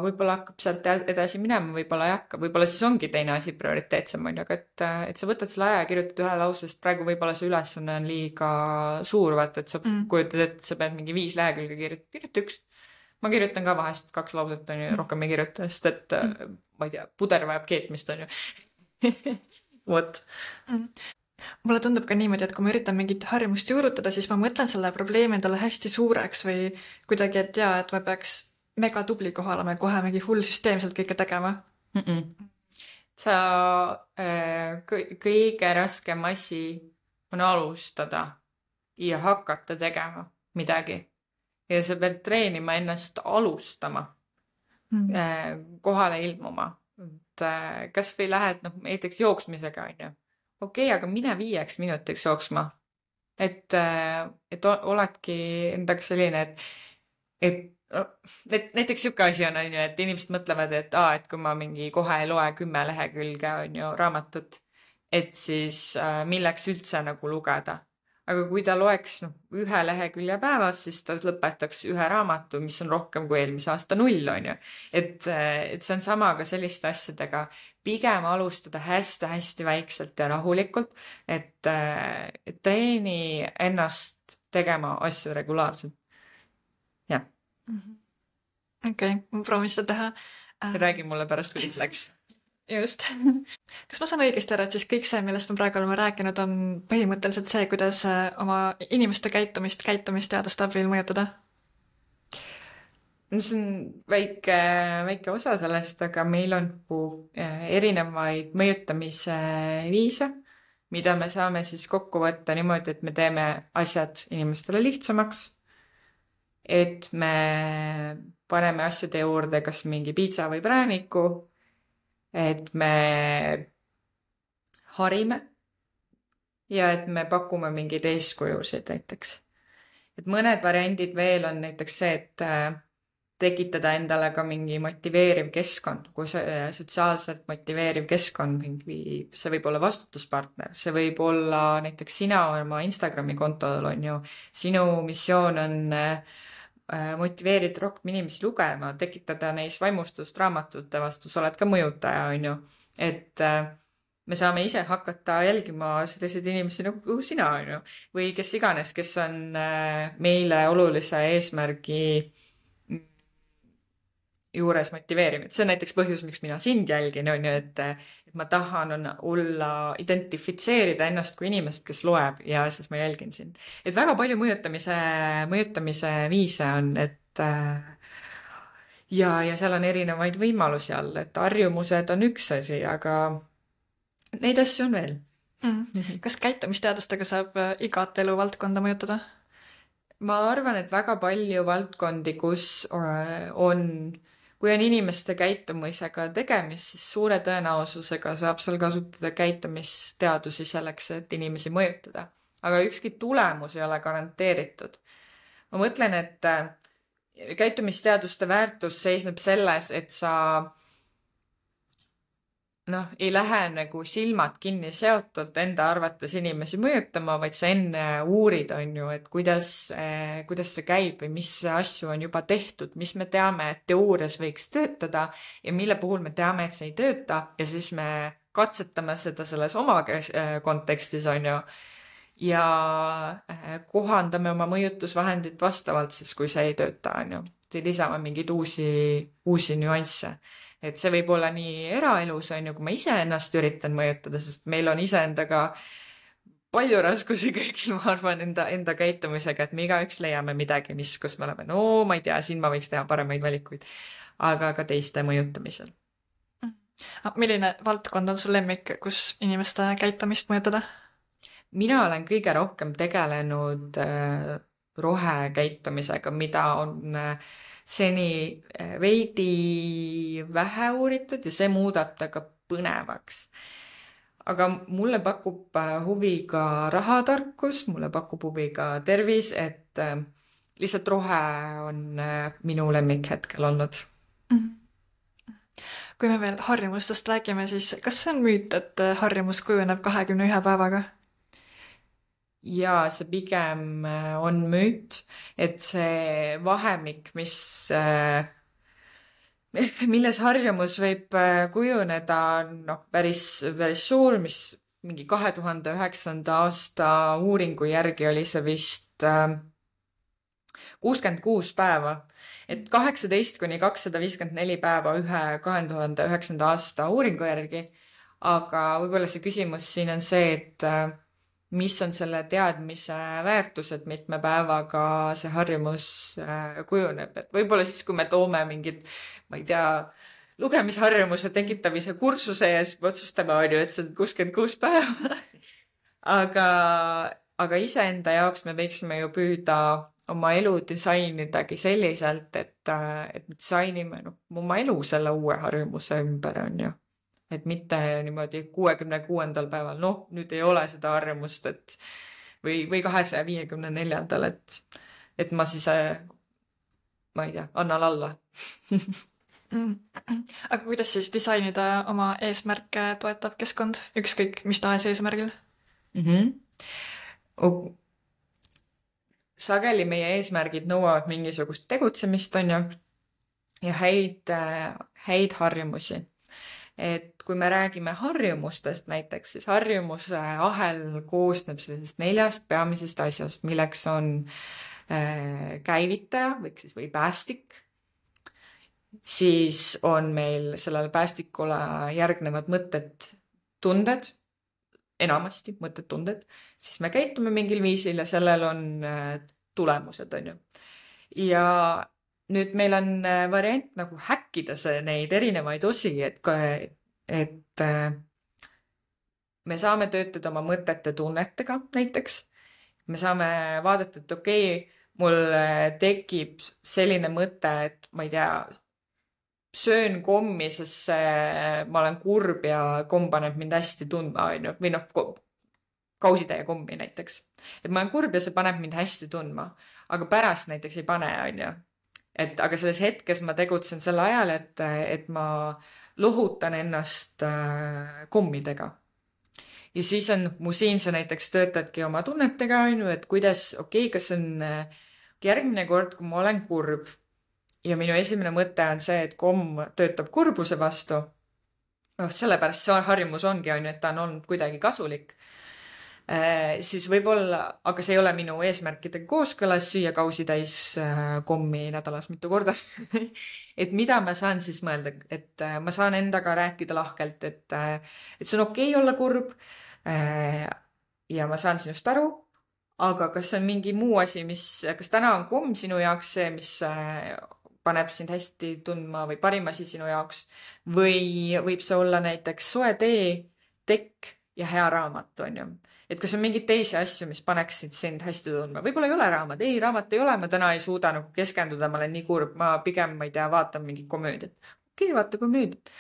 võib-olla hakkab sealt edasi minema, võib-olla ei hakka. Võib-olla siis ongi teine asi prioriteetsem, on ju, aga et sa võtad selle aja ja kirjutad ühe lause, sest praegu võib-olla see ülesanne on liiga suur, vaata, et sa kujutad, et sa pead mingi 5 lehekülge kirjuta üks. Ma kirjutan ka vahest 2 lauset, on ju, rohkem ei kirjuta, sest et ma ei tea, puder vajab keetmist, on ju. Vot. Mulle tundub ka niimoodi, et kui ma üritan mingit harjumust juurutada, siis ma mõtlen selle probleemi endale hästi suureks või kuidagi, et jaa, et ma peaks mega tubli kohal olema ja kohe mingi hull süsteemselt kõike tegema. Sa kõige raskem asi on alustada ja hakata tegema midagi. Ja sa pead treenima ennast alustama, kohale ilmuma. Kas või lähed näiteks jooksmisega, on ju. Okei, aga mine 5 minutiks jooksma. Et oledki endaga selline, et näiteks siuke asi on ju, et inimesed mõtlevad, et kui ma mingi kohe ei loe 10 lehekülge, on ju, raamatut, et siis milleks üldse nagu lugeda. Aga kui ta loeks 1 lehekülje päevas, siis ta lõpetaks 1 raamatu, mis on rohkem kui eelmise aasta 0, on ju. Et see on sama ka selliste asjadega. Pigem alustada hästi väikselt ja rahulikult, et treeni ennast tegema asju regulaarselt. Jah. Okei, ma proovin seda teha. Räägi mulle pärast, kuidas läks. Just. Kas ma saan õigesti aru, et siis kõik see, millest me praegu oleme rääkinud, on põhimõtteliselt see, kuidas oma inimeste käitumisteadust abil mõjutada? See on väike osa sellest, aga meil on erinevaid mõjutamise viise, mida me saame siis kokku võtta niimoodi, et me teeme asjad inimestele lihtsamaks, et me paneme asjade juurde kas mingi piitsa või prääniku, et me harime ja et me pakume mingeid eeskujusid näiteks. Et mõned variandid veel on näiteks see, et tekitada endale ka mingi motiveeriv keskkond, kui sotsiaalselt motiveeriv keskkond, see võib olla vastutuspartner, see võib olla näiteks sina oma Instagrami kontol on ju, sinu missioon on motiveerida rohkem inimesi lugema, tekitada neis vaimustust raamatute vastu, sa oled ka mõjutaja, on ju, et me saame ise hakata jälgima selliseid inimesi nagu sina, on ju, või kes iganes, kes on meile olulise eesmärgi juures motiveeriv. See on näiteks põhjus, miks mina sind jälgin, on ju, et ma tahan identifitseerida ennast kui inimest, kes loeb ja siis ma jälgin sind. Et väga palju mõjutamise viise on, et ja seal on erinevaid võimalusi all, et harjumused on üks asi, aga neid asju on veel. Kas käitumisteadustega saab igat eluvaldkonda mõjutada? Ma arvan, et väga palju valdkondi, kus kui on inimeste käitumisega tegemist, siis suure tõenäosusega saab seal kasutada käitumisteadusi selleks, et inimesi mõjutada. Aga ükski tulemus ei ole garanteeritud. Ma mõtlen, et käitumisteaduste väärtus seisneb selles, et sa ei lähe nagu silmad kinni seotult enda arvates inimesi mõjutama, vaid sa enne uurid, on ju, et kuidas see käib või mis asju on juba tehtud, mis me teame, et teoorias võiks töötada ja mille puhul me teame, et see ei tööta ja siis me katsetame seda selles oma kontekstis, on ju, ja kohandame oma mõjutusvahendit vastavalt siis, kui see ei tööta, on ju, lisame mingeid uusi nüansse. Et see võib olla nii eraelus, on ju, kui ma ise ennast üritan mõjutada, sest meil on iseendaga palju raskusi kõigil, ma arvan, enda käitumisega, et me igaüks leiame midagi, kus me oleme, ma ei tea, siin ma võiks teha paremaid valikuid, aga ka teiste mõjutamisel. Milline valdkond on sul lemmik, kus inimeste käitumist mõjutada? Mina olen kõige rohkem tegelenud rohekäitumisega, mida on seni veidi vähe uuritud ja see muudab ta ka põnevaks. Aga mulle pakub huvi ka rahatarkus, mulle pakub huvi ka tervis, et lihtsalt rohe on minu lemmik hetkel olnud. Kui me veel harjumustest räägime, siis kas see on müüt, et harjumus kujuneb 21 päevaga? Ja see pigem on müüt, et see vahemik, milles harjumus võib kujuneda, päris suur, mis mingi 2009. aasta uuringu järgi oli see vist 66 päeva. Et 18–254 päeva ühe 2009. aasta uuringu järgi, aga võib-olla see küsimus siin on see, et mis on selle teadmise väärtus, et mitme päevaga see harjumus kujuneb. Et võib-olla siis, kui me toome mingid, ma ei tea, lugemisharjumuse tekitamise kursuse ja siis me otsustame, et see on 66 päeva. Aga iseenda jaoks me võiksime ju püüda oma elu disainidagi selliselt, et me disainime oma elu selle uue harjumuse ümber, on ju. Et mitte niimoodi 66. päeval, nüüd ei ole seda harjumust, või 254. et ma siis, ma ei tea, annan alla. Aga kuidas siis disainida oma eesmärke toetav keskkond, ükskõik mis tahes eesmärgil? Sageli meie eesmärgid nõuavad mingisugust tegutsemist, on ju, ja häid harjumusi. Et kui me räägime harjumustest näiteks, siis harjumuse ahel koosneb sellisest 4 peamisest asjast, milleks on käivitaja või päästik. Siis on meil sellele päästikule järgnevad mõtted, tunded, enamasti mõtted, tunded. Siis me käitume mingil viisil ja sellel on tulemused, on ju. Ja nüüd meil on variant nagu häkkida neid erinevaid osi, et me saame töötada oma mõtete tunnetega näiteks. Me saame vaadata, et okei, mul tekib selline mõte, et ma ei tea, söön kommi, sest ma olen kurb ja komm paneb mind hästi tundma, on ju, või noh, kausitäie kommi näiteks. Et ma olen kurb ja see paneb mind hästi tundma, aga pärast näiteks ei pane, on ju. Et aga selles hetkes ma tegutsen sel ajal, et ma lohutan ennast kommidega. Ja siis on mu siin sa näiteks töötadki oma tunnetega, on ju, et kuidas, kas on järgmine kord, kui ma olen kurb ja minu esimene mõte on see, et komm töötab kurbuse vastu. Sellepärast see harjumus ongi, on ju, et ta on olnud kuidagi kasulik. Siis võib-olla, aga see ei ole minu eesmärkidega kooskõlas süüa kausitäis kommi nädalas mitu korda. Et mida ma saan siis mõelda, et ma saan endaga rääkida lahkelt, et see on okei olla kurb ja ma saan sinust aru, aga kas on mingi muu asi, kas täna on komm sinu jaoks see, mis paneb sind hästi tundma või parim asi sinu jaoks või võib see olla näiteks soe tee, tekk ja hea raamat, on ju. Et kas on mingeid teisi asju, mis paneksid sind hästi tundma? Võib-olla ei ole raamat. Ei, raamat ei ole. Ma täna ei suuda nagu keskenduda. Ma olen nii kurb. Ma pigem, ma ei tea, vaatan mingit komöödiat. Okei, vaata komöödiat.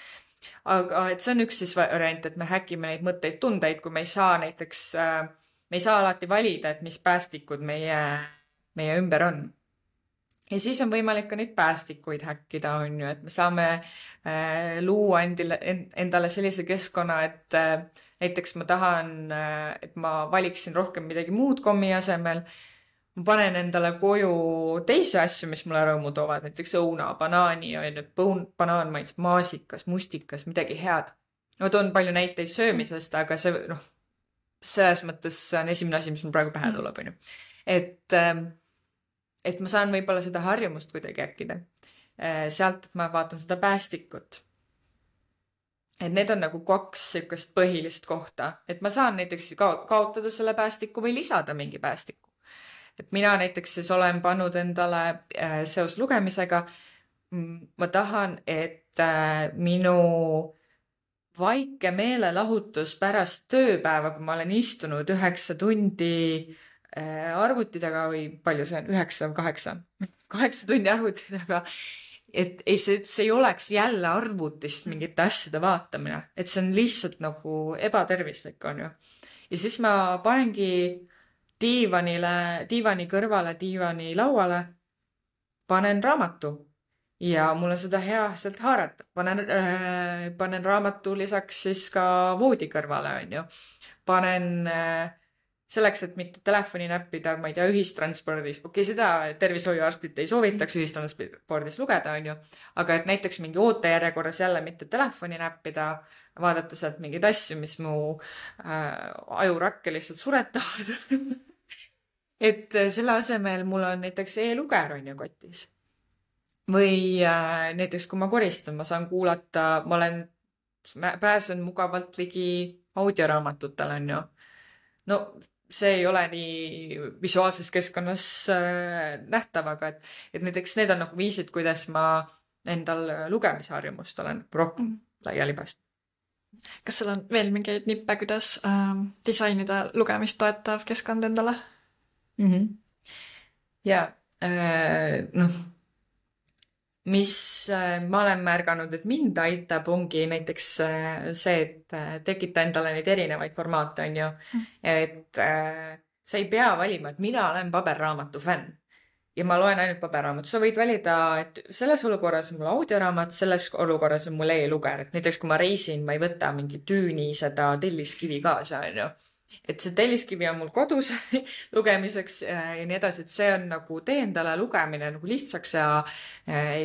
Aga et see on üks siis variant, et me häkime neid mõtteid, tundeid, kui me ei saa näiteks, me ei saa alati valida, et mis päästikud meie ümber on. Ja siis on võimalik ka neid päästikuid häkkida, on ju, et me saame luua endale sellise keskkonna, et näiteks ma tahan, et ma valiksin rohkem midagi muud kommi asemel. Ma panen endale koju teisi asju, mis mulle rõõmu toovad, näiteks õuna, banaani, banaan maitseb maasikas, mustikas, midagi head. Ma toon palju näiteid söömisest, aga see, selles mõttes on esimene asi, mis mul praegu pähe tuleb, on ju. Et ma saan võib-olla seda harjumust kuidagi äkkida. Sealt, et ma vaatan seda päästikut. Et need on nagu 2 sükest põhilist kohta. Et ma saan näiteks kaotada selle päästiku või lisada mingi päästiku. Et mina näiteks siis olen pannud endale seos lugemisega. Ma tahan, et minu vaike meelelahutus pärast tööpäeva, kui ma olen istunud 9 tundi arvuti taga või palju see on? 9 või 8? 8 tundi arvuti taga. Et see ei oleks jälle arvutist mingite asjade vaatamine. Et see on lihtsalt nagu ebatervislik, on ju. Ja siis ma panengi diivani kõrvale, diivani lauale, panen raamatu. Ja mul on seda hea sealt haarata. Panen raamatu lisaks siis ka voodi kõrvale, on ju. Panen selleks, et mitte telefoni näppida, ma ei tea, ühistranspordis. Okei, seda tervishoiuarstid ei soovitaks ühistranspordis lugeda, on ju. Aga et näiteks mingi ootejärjekorras jälle mitte telefoni näppida, vaadata sealt mingeid asju, mis mu ajurakke lihtsalt suretavad. Et selle asemel mul on näiteks e-luger, on ju, kotis. Või näiteks, kui ma koristan, ma saan kuulata, pääsen mugavalt ligi audioraamatutele, on ju. No, see ei ole nii visuaalses keskkonnas nähtav, aga et näiteks need on nagu viisid, kuidas ma endal lugemisharjumust olen rohkem laiali pääst. Kas sul on veel mingeid nippe, kuidas disainida lugemist toetav keskkond endale? Ja, mis ma olen märganud, et mind aitab, ongi näiteks see, et tekita endale neid erinevaid formaate, on ju. Et sa ei pea valima, et mina olen paberraamatu fänn ja ma loen ainult paberraamatu. Sa võid valida, et selles olukorras on mul audioraamat, selles olukorras on mul e-luger. Et näiteks, kui ma reisin, ma ei võta mingi tüüni seda telliskivi kaasa, on ju. Et see telliskivi on mul kodus lugemiseks ja nii edasi, et see on nagu tee endale lugemine nagu lihtsaks ja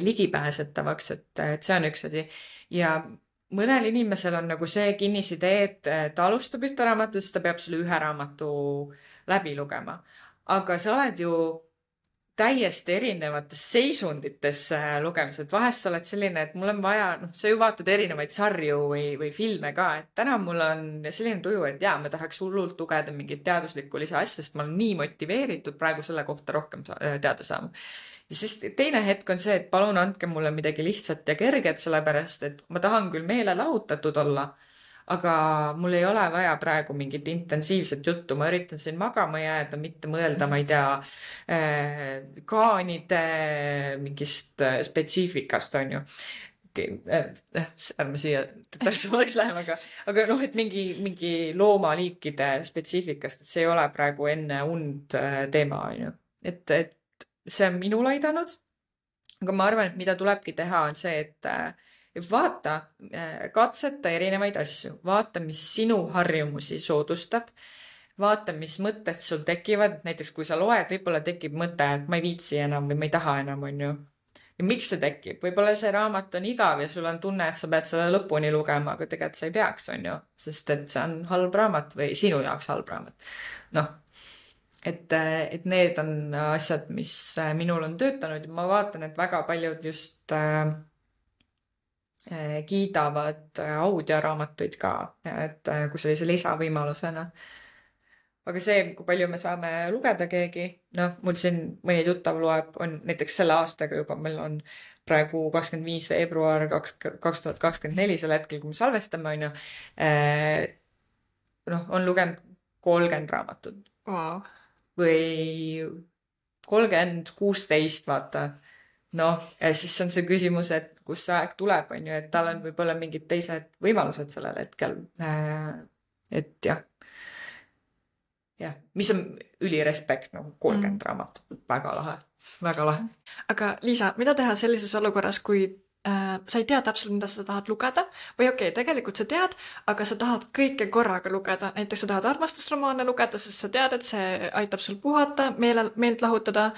ligipääsetavaks, et see on üks asi. Ja mõnel inimesel on nagu see kinnisidee, et ta alustab ühte raamatut, siis ta peab selle ühe raamatu läbi lugema. Aga sa oled ju täiesti erinevates seisundites lugemised. Vahest sa oled selline, et mul on vaja, sa ju vaatad erinevaid sarju või filme ka, et täna mul on selline tuju, et ma tahaks hullult lugeda mingit teaduslikku lisaasja, sest ma olen nii motiveeritud praegu selle kohta rohkem teada saama. Ja siis teine hetk on see, et palun andke mulle midagi lihtsat ja kerget, sellepärast, et ma tahan küll meele lahutatud olla, aga mul ei ole vaja praegu mingit intensiivset juttu. Ma üritan siin magama jääda, mitte mõelda, ma ei tea, kaanide mingist spetsiifikast, on ju. ärme siia detailsemaks läheme, aga noh, et mingi loomaliikide spetsiifikast, et see ei ole praegu enne und teema, on ju. Et see on minul aidanud. Aga ma arvan, et mida tulebki teha, on see, et vaata, katseta erinevaid asju, vaata, mis sinu harjumusi soodustab, vaata, mis mõtted sul tekivad, näiteks kui sa loed, võib-olla tekib mõte, et ma ei viitsi enam või ma ei taha enam, on ju. Ja miks see tekib? Võib-olla see raamat on igav ja sul on tunne, et sa pead selle lõpuni lugema, aga tegelikult sa ei peaks, on ju, sest et see on halb raamat või sinu jaoks halb raamat. Noh, et need on asjad, mis minul on töötanud ja ma vaatan, et väga paljud just kiidavad audioraamatuid ka, et kui sellise lisavõimalusena. Aga see, kui palju me saame lugeda keegi, noh, mul siin mõni tuttav loeb, on näiteks selle aastaga juba, meil on praegu 25. veebruar 2024, selle hetkel, kui me salvestame, on ju, noh, on lugenud 30 raamatut. Wow. Või 30, 16, vaata. Noh, ja siis on see küsimus, et kus see aeg tuleb, on ju, et tal on võib-olla mingid teised võimalused sellel hetkel. Et jah. Jah, mis on ülirespekt, nagu 30 raamatut. Väga lahe. Väga lahe. Aga Liisa, mida teha sellises olukorras, kui sa ei tea täpselt, mida sa tahad lugeda või okei, tegelikult sa tead, aga sa tahad kõike korraga lugeda. Näiteks sa tahad armastusromaane lugeda, sest sa tead, et see aitab sul puhata, meelt lahutada.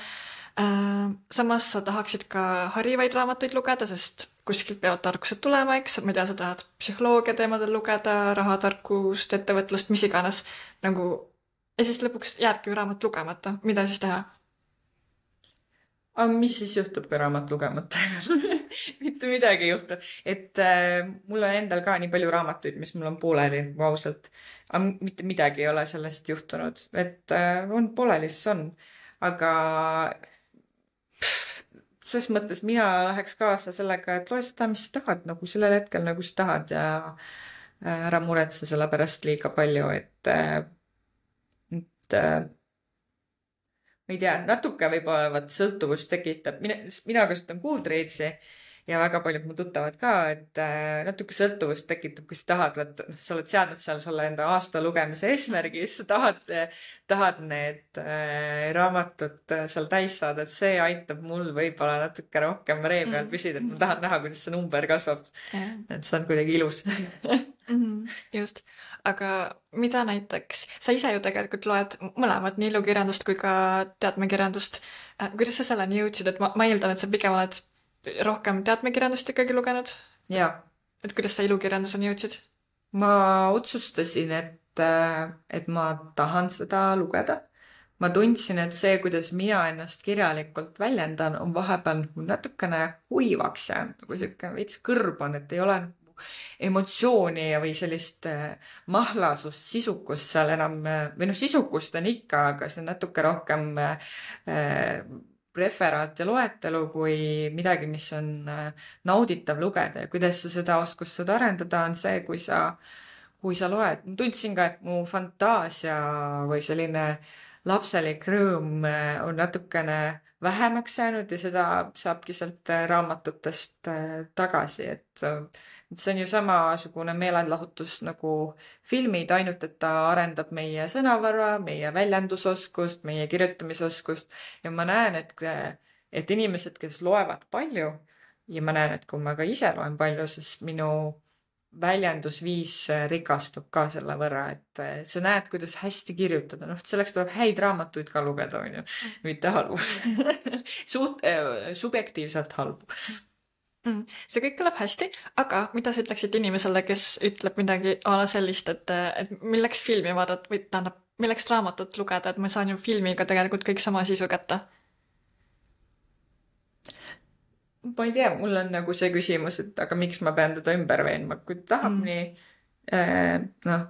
Samas sa tahaksid ka harivaid raamatuid lugeda, sest kuskilt peavad tarkused tulema, eks. Ma ei tea, sa tahad psühholoogia teemadel lugeda, rahatarkust, ettevõtlust, mis iganes. Nagu, ja siis lõpuks jääbki raamat lugemata. Mida siis teha? Aga mis siis juhtub, kui raamat lugemata? Mitte midagi ei juhtu. Et mul on endal ka nii palju raamatuid, mis mul on pooleli, ausalt. Aga mitte midagi ei ole sellest juhtunud. Et on pooleli, siis on. Aga selles mõttes mina läheks kaasa sellega, et loe seda, mis sa tahad, nagu sellel hetkel, nagu sa tahad ja ära muretse selle pärast liiga palju, et ma ei tea, natuke võib-olla sõltuvust tekitab. Mina kasutan Goodreadsi ja väga paljud mu tuttavad ka, et natuke sõltuvust tekitab, kui sa tahad, sa oled seadnud seal selle enda aasta lugemise eesmärgi, siis sa tahad need raamatud seal täis saada, et see aitab mul võib-olla natuke rohkem ree peal püsida, et ma tahan näha, kuidas see number kasvab. Et see on kuidagi ilus. Just. Aga mida näiteks, sa ise ju tegelikult loed mõlemad, nii ilukirjandust kui ka teadmekirjandust. Kuidas sa selleni jõudsid, et ma eeldan, et sa pigem oled rohkem teadmekirjandust ikkagi lugenud? Jaa. Et kuidas sa ilukirjanduseni jõudsid? Ma otsustasin, et ma tahan seda lugeda. Ma tundsin, et see, kuidas mina ennast kirjalikult väljendan, on vahepeal natukene kuivaks jäänud, nagu selline veits kõrban, et ei ole emotsiooni või sellist mahlasust, sisukust seal enam, või noh, sisukust on ikka, aga see on natuke rohkem referaat ja loetelu kui midagi, mis on nauditav lugeda ja kuidas sa seda oskust saad arendada, on see, kui sa loed. Ma tundsin ka, et mu fantaasia või selline lapselik rõõm on natukene vähemaks jäänud ja seda saabki sealt raamatutest tagasi, et see on ju samasugune meelelahutus nagu filmid, ainult et ta arendab meie sõnavara, meie väljendusoskust, meie kirjutamisoskust ja ma näen, et inimesed, kes loevad palju ja ma näen, et kui ma ka ise loen palju, siis minu väljendusviis rikastub ka selle võrra, et sa näed, kuidas hästi kirjutada. Noh, selleks tuleb häid raamatuid ka lugeda, on ju, mitte halbu. Subjektiivselt halbu. See kõik kõlab hästi, aga mida sa ütleksid inimesele, kes ütleb midagi ala sellist, et milleks filmi vaadata või tähendab, milleks raamatut lugeda, et ma saan ju filmiga tegelikult kõik sama sisu kätte? Ma ei tea, mul on nagu see küsimus, et aga miks ma pean teda ümber veenma, kui tahab nii, noh,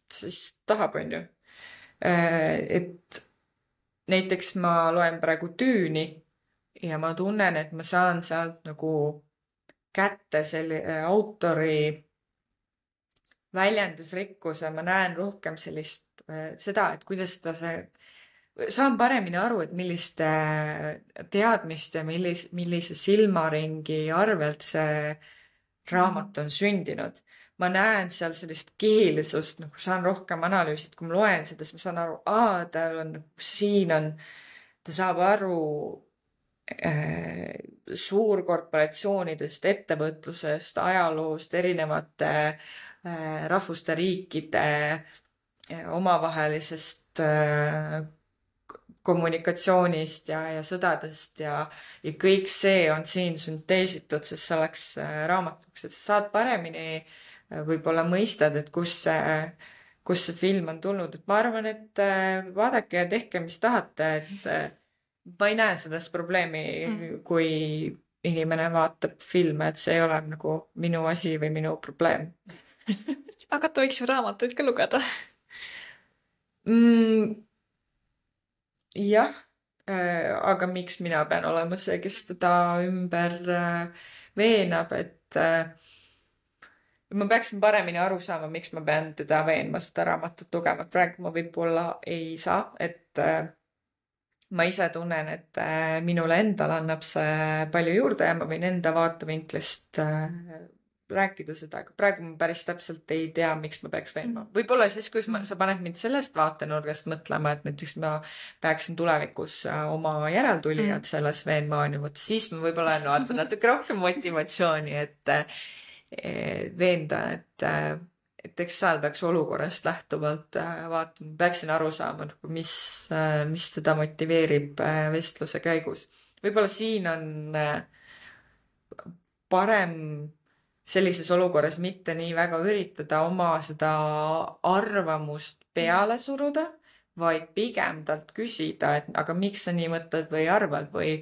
siis tahab, on ju. Et näiteks ma loen praegu Düüni ja ma tunnen, et ma saan sealt nagu kätte selle autori väljendusrikkuse, ma näen rohkem sellist, seda, et kuidas ta see saan paremini aru, et milliste teadmiste, millise silmaringi arvelt see raamat on sündinud. Ma näen seal sellist keelsust, noh, saan rohkem analüüsida, kui ma loen seda, siis ma saan aru, tal on, siin on, ta saab aru suurkorporatsioonidest, ettevõtlusest, ajaloost, erinevate rahvuste, riikide omavahelisest kommunikatsioonist ja sõdadest ja kõik see on siin sünteesitud, sest see oleks raamatuks, et sa saad paremini võib-olla mõistad, et kust see film on tulnud, et ma arvan, et vaadake ja tehke, mis tahate, et ma ei näe sellest probleemi, kui inimene vaatab filme, et see ei ole nagu minu asi või minu probleem. Aga ta võiks ju raamatuid ka lugeda. Jah, aga miks mina pean olema see, kes teda ümber veenab, et ma peaksin paremini aru saama, miks ma pean teda veenma seda raamatut lugema. Praegu ma võib-olla ei saa, et ma ise tunnen, et minule endale annab see palju juurde ja ma võin enda vaatevinklist rääkida seda, aga praegu ma päris täpselt ei tea, miks ma peaks veenma. Võib-olla siis, kui sa paned mind sellest vaatenurgast mõtlema, et näiteks ma peaksin tulevikus oma järeltulijad selles veenma, on ju, vot siis ma võib-olla vaatan natuke rohkem motivatsiooni, et veenda, et eks seal peaks olukorrast lähtuvalt vaatama, peaksin aru saama, mis teda motiveerib vestluse käigus. Võib-olla siin on parem sellises olukorras mitte nii väga üritada oma seda arvamust peale suruda, vaid pigem talt küsida, et aga miks sa nii mõtled või arvad või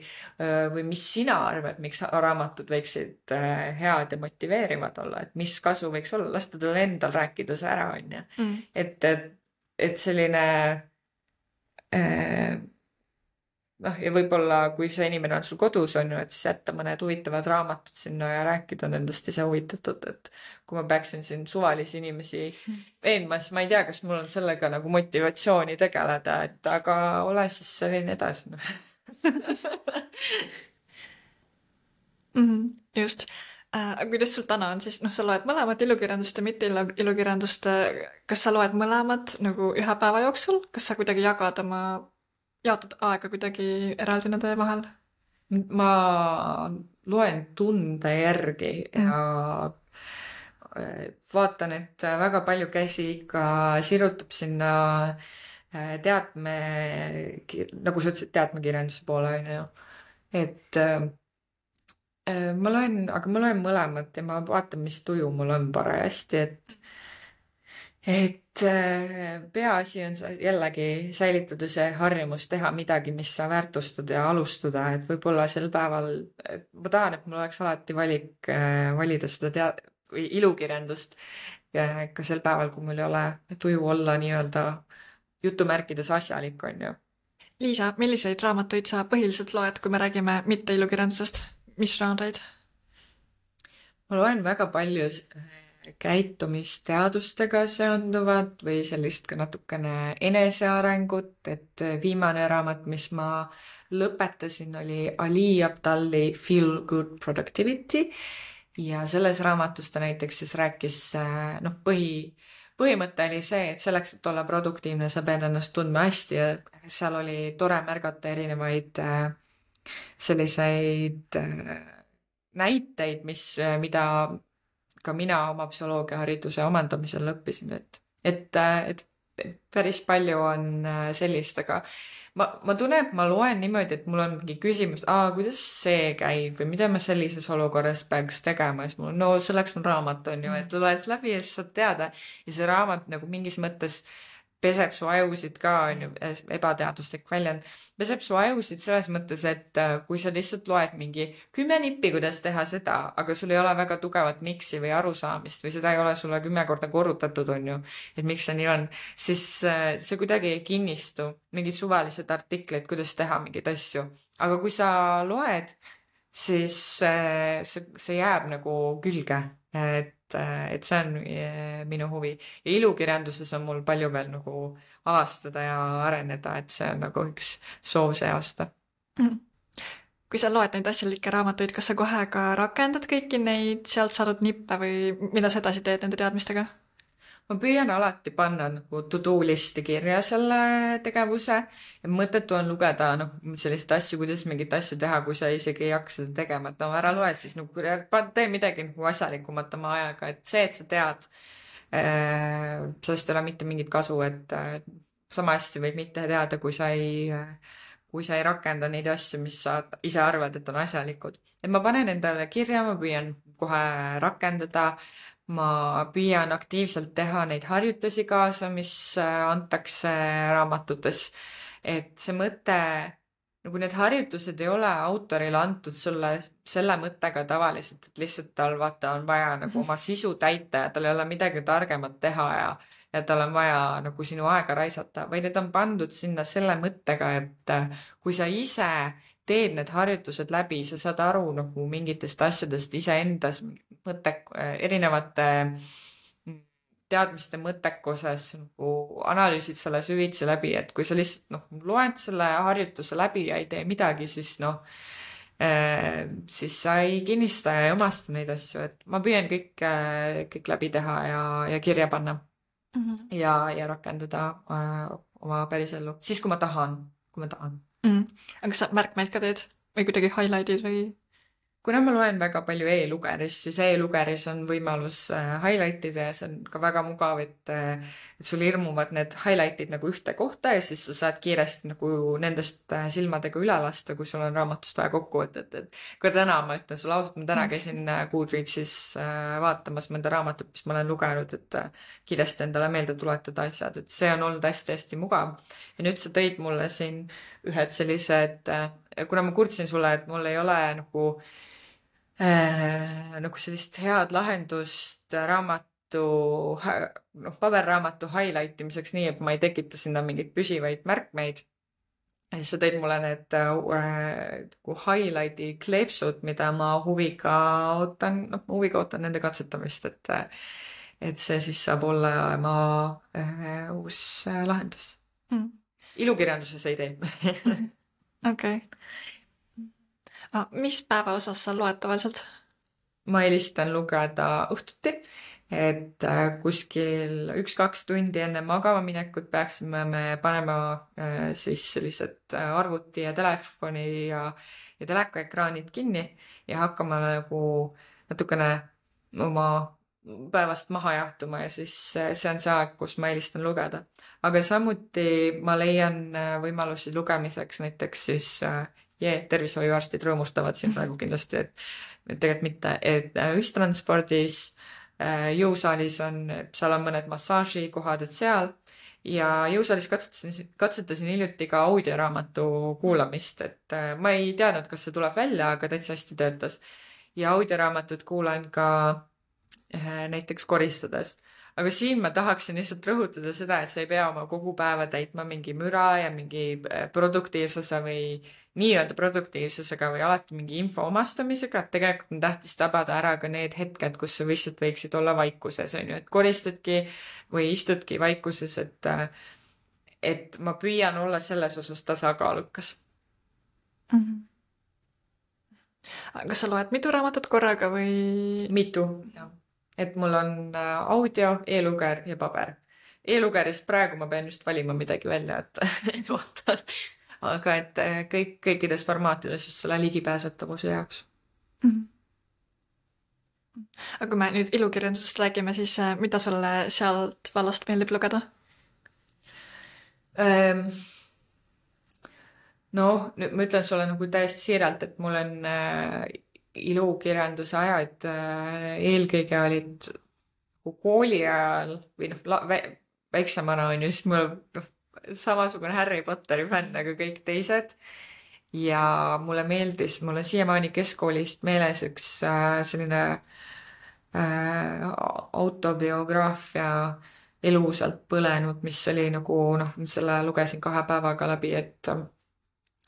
mis sina arvad, miks raamatud võiksid head ja motiveerivad olla, et mis kasu võiks olla, lasta tal endal rääkida see ära, on ju. Et selline ja võib-olla, kui see inimene on sul kodus, on ju, et siis jätta mõned huvitavad raamatud sinna ja rääkida nendest ise huvitatud, et kui ma peaksin siin suvalisi inimesi veenma, siis ma ei tea, kas mul on sellega nagu motivatsiooni tegeleda, et aga ole siis selline edasi. Just. Aga kuidas sul täna on siis, sa loed mõlemat ilukirjandust ja mitte ilukirjandust, kas sa loed mõlemat nagu ühe päeva jooksul, kas sa kuidagi jaotad aega kuidagi eraldi nende vahel? Ma loen tunde järgi ja vaatan, et väga palju käsi ikka sirutab sinna nagu sa ütlesid, teadmekirjanduse poole, on ju. Et ma loen mõlemat ja ma vaatan, mis tuju mul on parajasti, et peaasi on jällegi säilitada see harjumus teha midagi, mis sa väärtustad ja alustada, et võib-olla sel päeval, ma tahan, et mul oleks alati valik valida seda või ilukirjandust ka sel päeval, kui mul ei ole tuju olla nii-öelda jutumärkides asjalik, on ju. Liisa, milliseid raamatuid sa põhiliselt loed, kui me räägime mitte ilukirjandusest? Mis žanreid? Ma loen väga palju käitumisteadustega seonduvat või sellist ka natukene enesearengut, et viimane raamat, mis ma lõpetasin, oli Ali Abdali Feel Good Productivity ja selles raamatus ta näiteks siis rääkis, põhimõte oli see, et selleks, et olla produktiivne, sa pead ennast tundma hästi ja seal oli tore märgata erinevaid selliseid näiteid, mida ka mina oma psühholoogiahariduse omandamisel õppisin, et päris palju on sellist, aga ma tunnen, et ma loen niimoodi, et mul on mingi küsimus, kuidas see käib või mida ma sellises olukorras peaks tegema, siis mul selleks on raamat, on ju, et loed läbi ja siis saad teada ja see raamat nagu mingis mõttes peseb su ajusid ka, on ju, ebateaduslik väljend, peseb su ajusid selles mõttes, et kui sa lihtsalt loed mingi 10 nippi, kuidas teha seda, aga sul ei ole väga tugevat miksi või arusaamist või seda ei ole sulle 10 korda korrutatud, on ju, et miks see nii on, siis see kuidagi ei kinnistu, mingid suvalised artiklid, kuidas teha mingeid asju. Aga kui sa loed, siis see jääb nagu külge, et et see on minu huvi. Ja ilukirjanduses on mul palju veel nagu avastada ja areneda, et see on nagu üks soov see aasta. Kui sa loed neid asjalikke raamatuid, kas sa kohe ka rakendad kõiki neid sealt saadud nippe või mida sa edasi teed nende teadmistega? Ma püüan alati panna nagu to-do listi kirja selle tegevuse ja mõttetu on lugeda selliseid asju, kuidas mingit asja teha, kui sa isegi ei hakka seda tegema, et ära loe siis tee midagi nagu asjalikumat oma ajaga, et see, et sa tead, sellest ei ole mitte mingit kasu, et sama hästi võib mitte teada, kui sa ei rakenda neid asju, mis sa ise arvad, et on asjalikud. Et ma panen endale kirja, ma püüan kohe rakendada, ma püüan aktiivselt teha neid harjutusi kaasa, mis antakse raamatutes. Et see mõte, nagu need harjutused ei ole autorile antud sulle selle mõttega tavaliselt, et lihtsalt tal vaata on vaja nagu oma sisu täita ja tal ei ole midagi targemat teha ja tal on vaja nagu sinu aega raisata, vaid need on pandud sinna selle mõttega, et kui sa ise teed need harjutused läbi, sa saad aru nagu mingitest asjadest iseendas erinevate teadmiste mõttekuses nagu analüüsid selle süvitsi läbi, et kui sa lihtsalt loed selle harjutuse läbi ja ei tee midagi, siis siis sa ei kinnista ja ei omasta neid asju, et ma püüan kõik läbi teha ja kirja panna ja rakendada oma pärisellu, siis kui ma tahan. Aga kas sa märkmeid ka teed või kuidagi highlight'id või? Kuna ma loen väga palju e-lugeris, siis e-lugeris on võimalus highlight'ida ja see on ka väga mugav, et sul ilmuvad need highlight'id nagu ühte kohta ja siis sa saad kiiresti nagu nendest silmadega üle lasta, kui sul on raamatust vaja kokkuvõtet. Kui täna, ma ütlen sulle ausalt, ma täna käisin Goodreadsis vaatamas mõnda raamatut, mis ma olen lugenud, et kiiresti endale meelde tuletada asjad, et see on olnud hästi-hästi mugav. Ja nüüd sa tõid mulle siin ühed sellised, kuna ma kurtsin sulle, et mul ei ole nagu sellist head lahendust paberraamatu highlight imiseks nii, et ma ei tekita sinna mingeid püsivaid märkmeid. Ja siis sa tõid mulle need highlighti kleepsud, mida ma huviga ootan nende katsetamist, et see siis saab olla ma uus lahendus. Ilukirjanduses ei tee. Okei. Mis päeva osas sa loed tavaliselt? Ma eelistan lugeda õhtuti, et kuskil 1-2 tundi enne magama minekut peaksime me panema siis sellised arvuti ja telefoni ja telekaekraanid kinni ja hakkama nagu natukene oma päevast maha jahtuma ja siis see on see aeg, kus ma eelistan lugeda. Aga samuti ma leian võimalusi lugemiseks näiteks siis tervishoiuarstid rõõmustavad siin praegu kindlasti, et tegelikult mitte, et ühistranspordis, jõusaalis seal on mõned massaažikohad, et seal ja jõusaalis katsetasin hiljuti ka audioraamatu kuulamist, et ma ei teadnud, kas see tuleb välja, aga täitsa hästi töötas ja audioraamatut kuulan ka näiteks koristades. Aga siin ma tahaksin lihtsalt rõhutada seda, et sa ei pea oma kogu päeva täitma mingi müra ja mingi produktiivsuse või nii-öelda produktiivsusega või alati mingi info omastamisega, et tegelikult on tähtis tabada ära ka need hetked, kus sa lihtsalt võiksid olla vaikuses, on ju, et koristadki või istudki vaikuses, et ma püüan olla selles osas tasakaalukas. Kas sa loed mitu raamatut korraga või? Mitu, jah. Et mul on audio, e-luger ja paber. E-lugerist praegu ma pean just valima midagi välja, et vaatan. Aga et kõikides formaatides just selle ligipääsetavuse jaoks. Aga kui me nüüd ilukirjandusest räägime, siis mida sulle sealt vallast meeldib lugeda? Nüüd ma ütlen sulle nagu täiesti siiralt, et mul on ilukirjanduse ajad eelkõige olid kooli ajal või väiksemana on ju, siis mul samasugune Harry Potteri fänn nagu kõik teised ja mulle on siiamaani keskkoolist meeles üks selline autobiograafia elusalt põlenud, mis oli nagu selle lugesin 2 päevaga läbi, et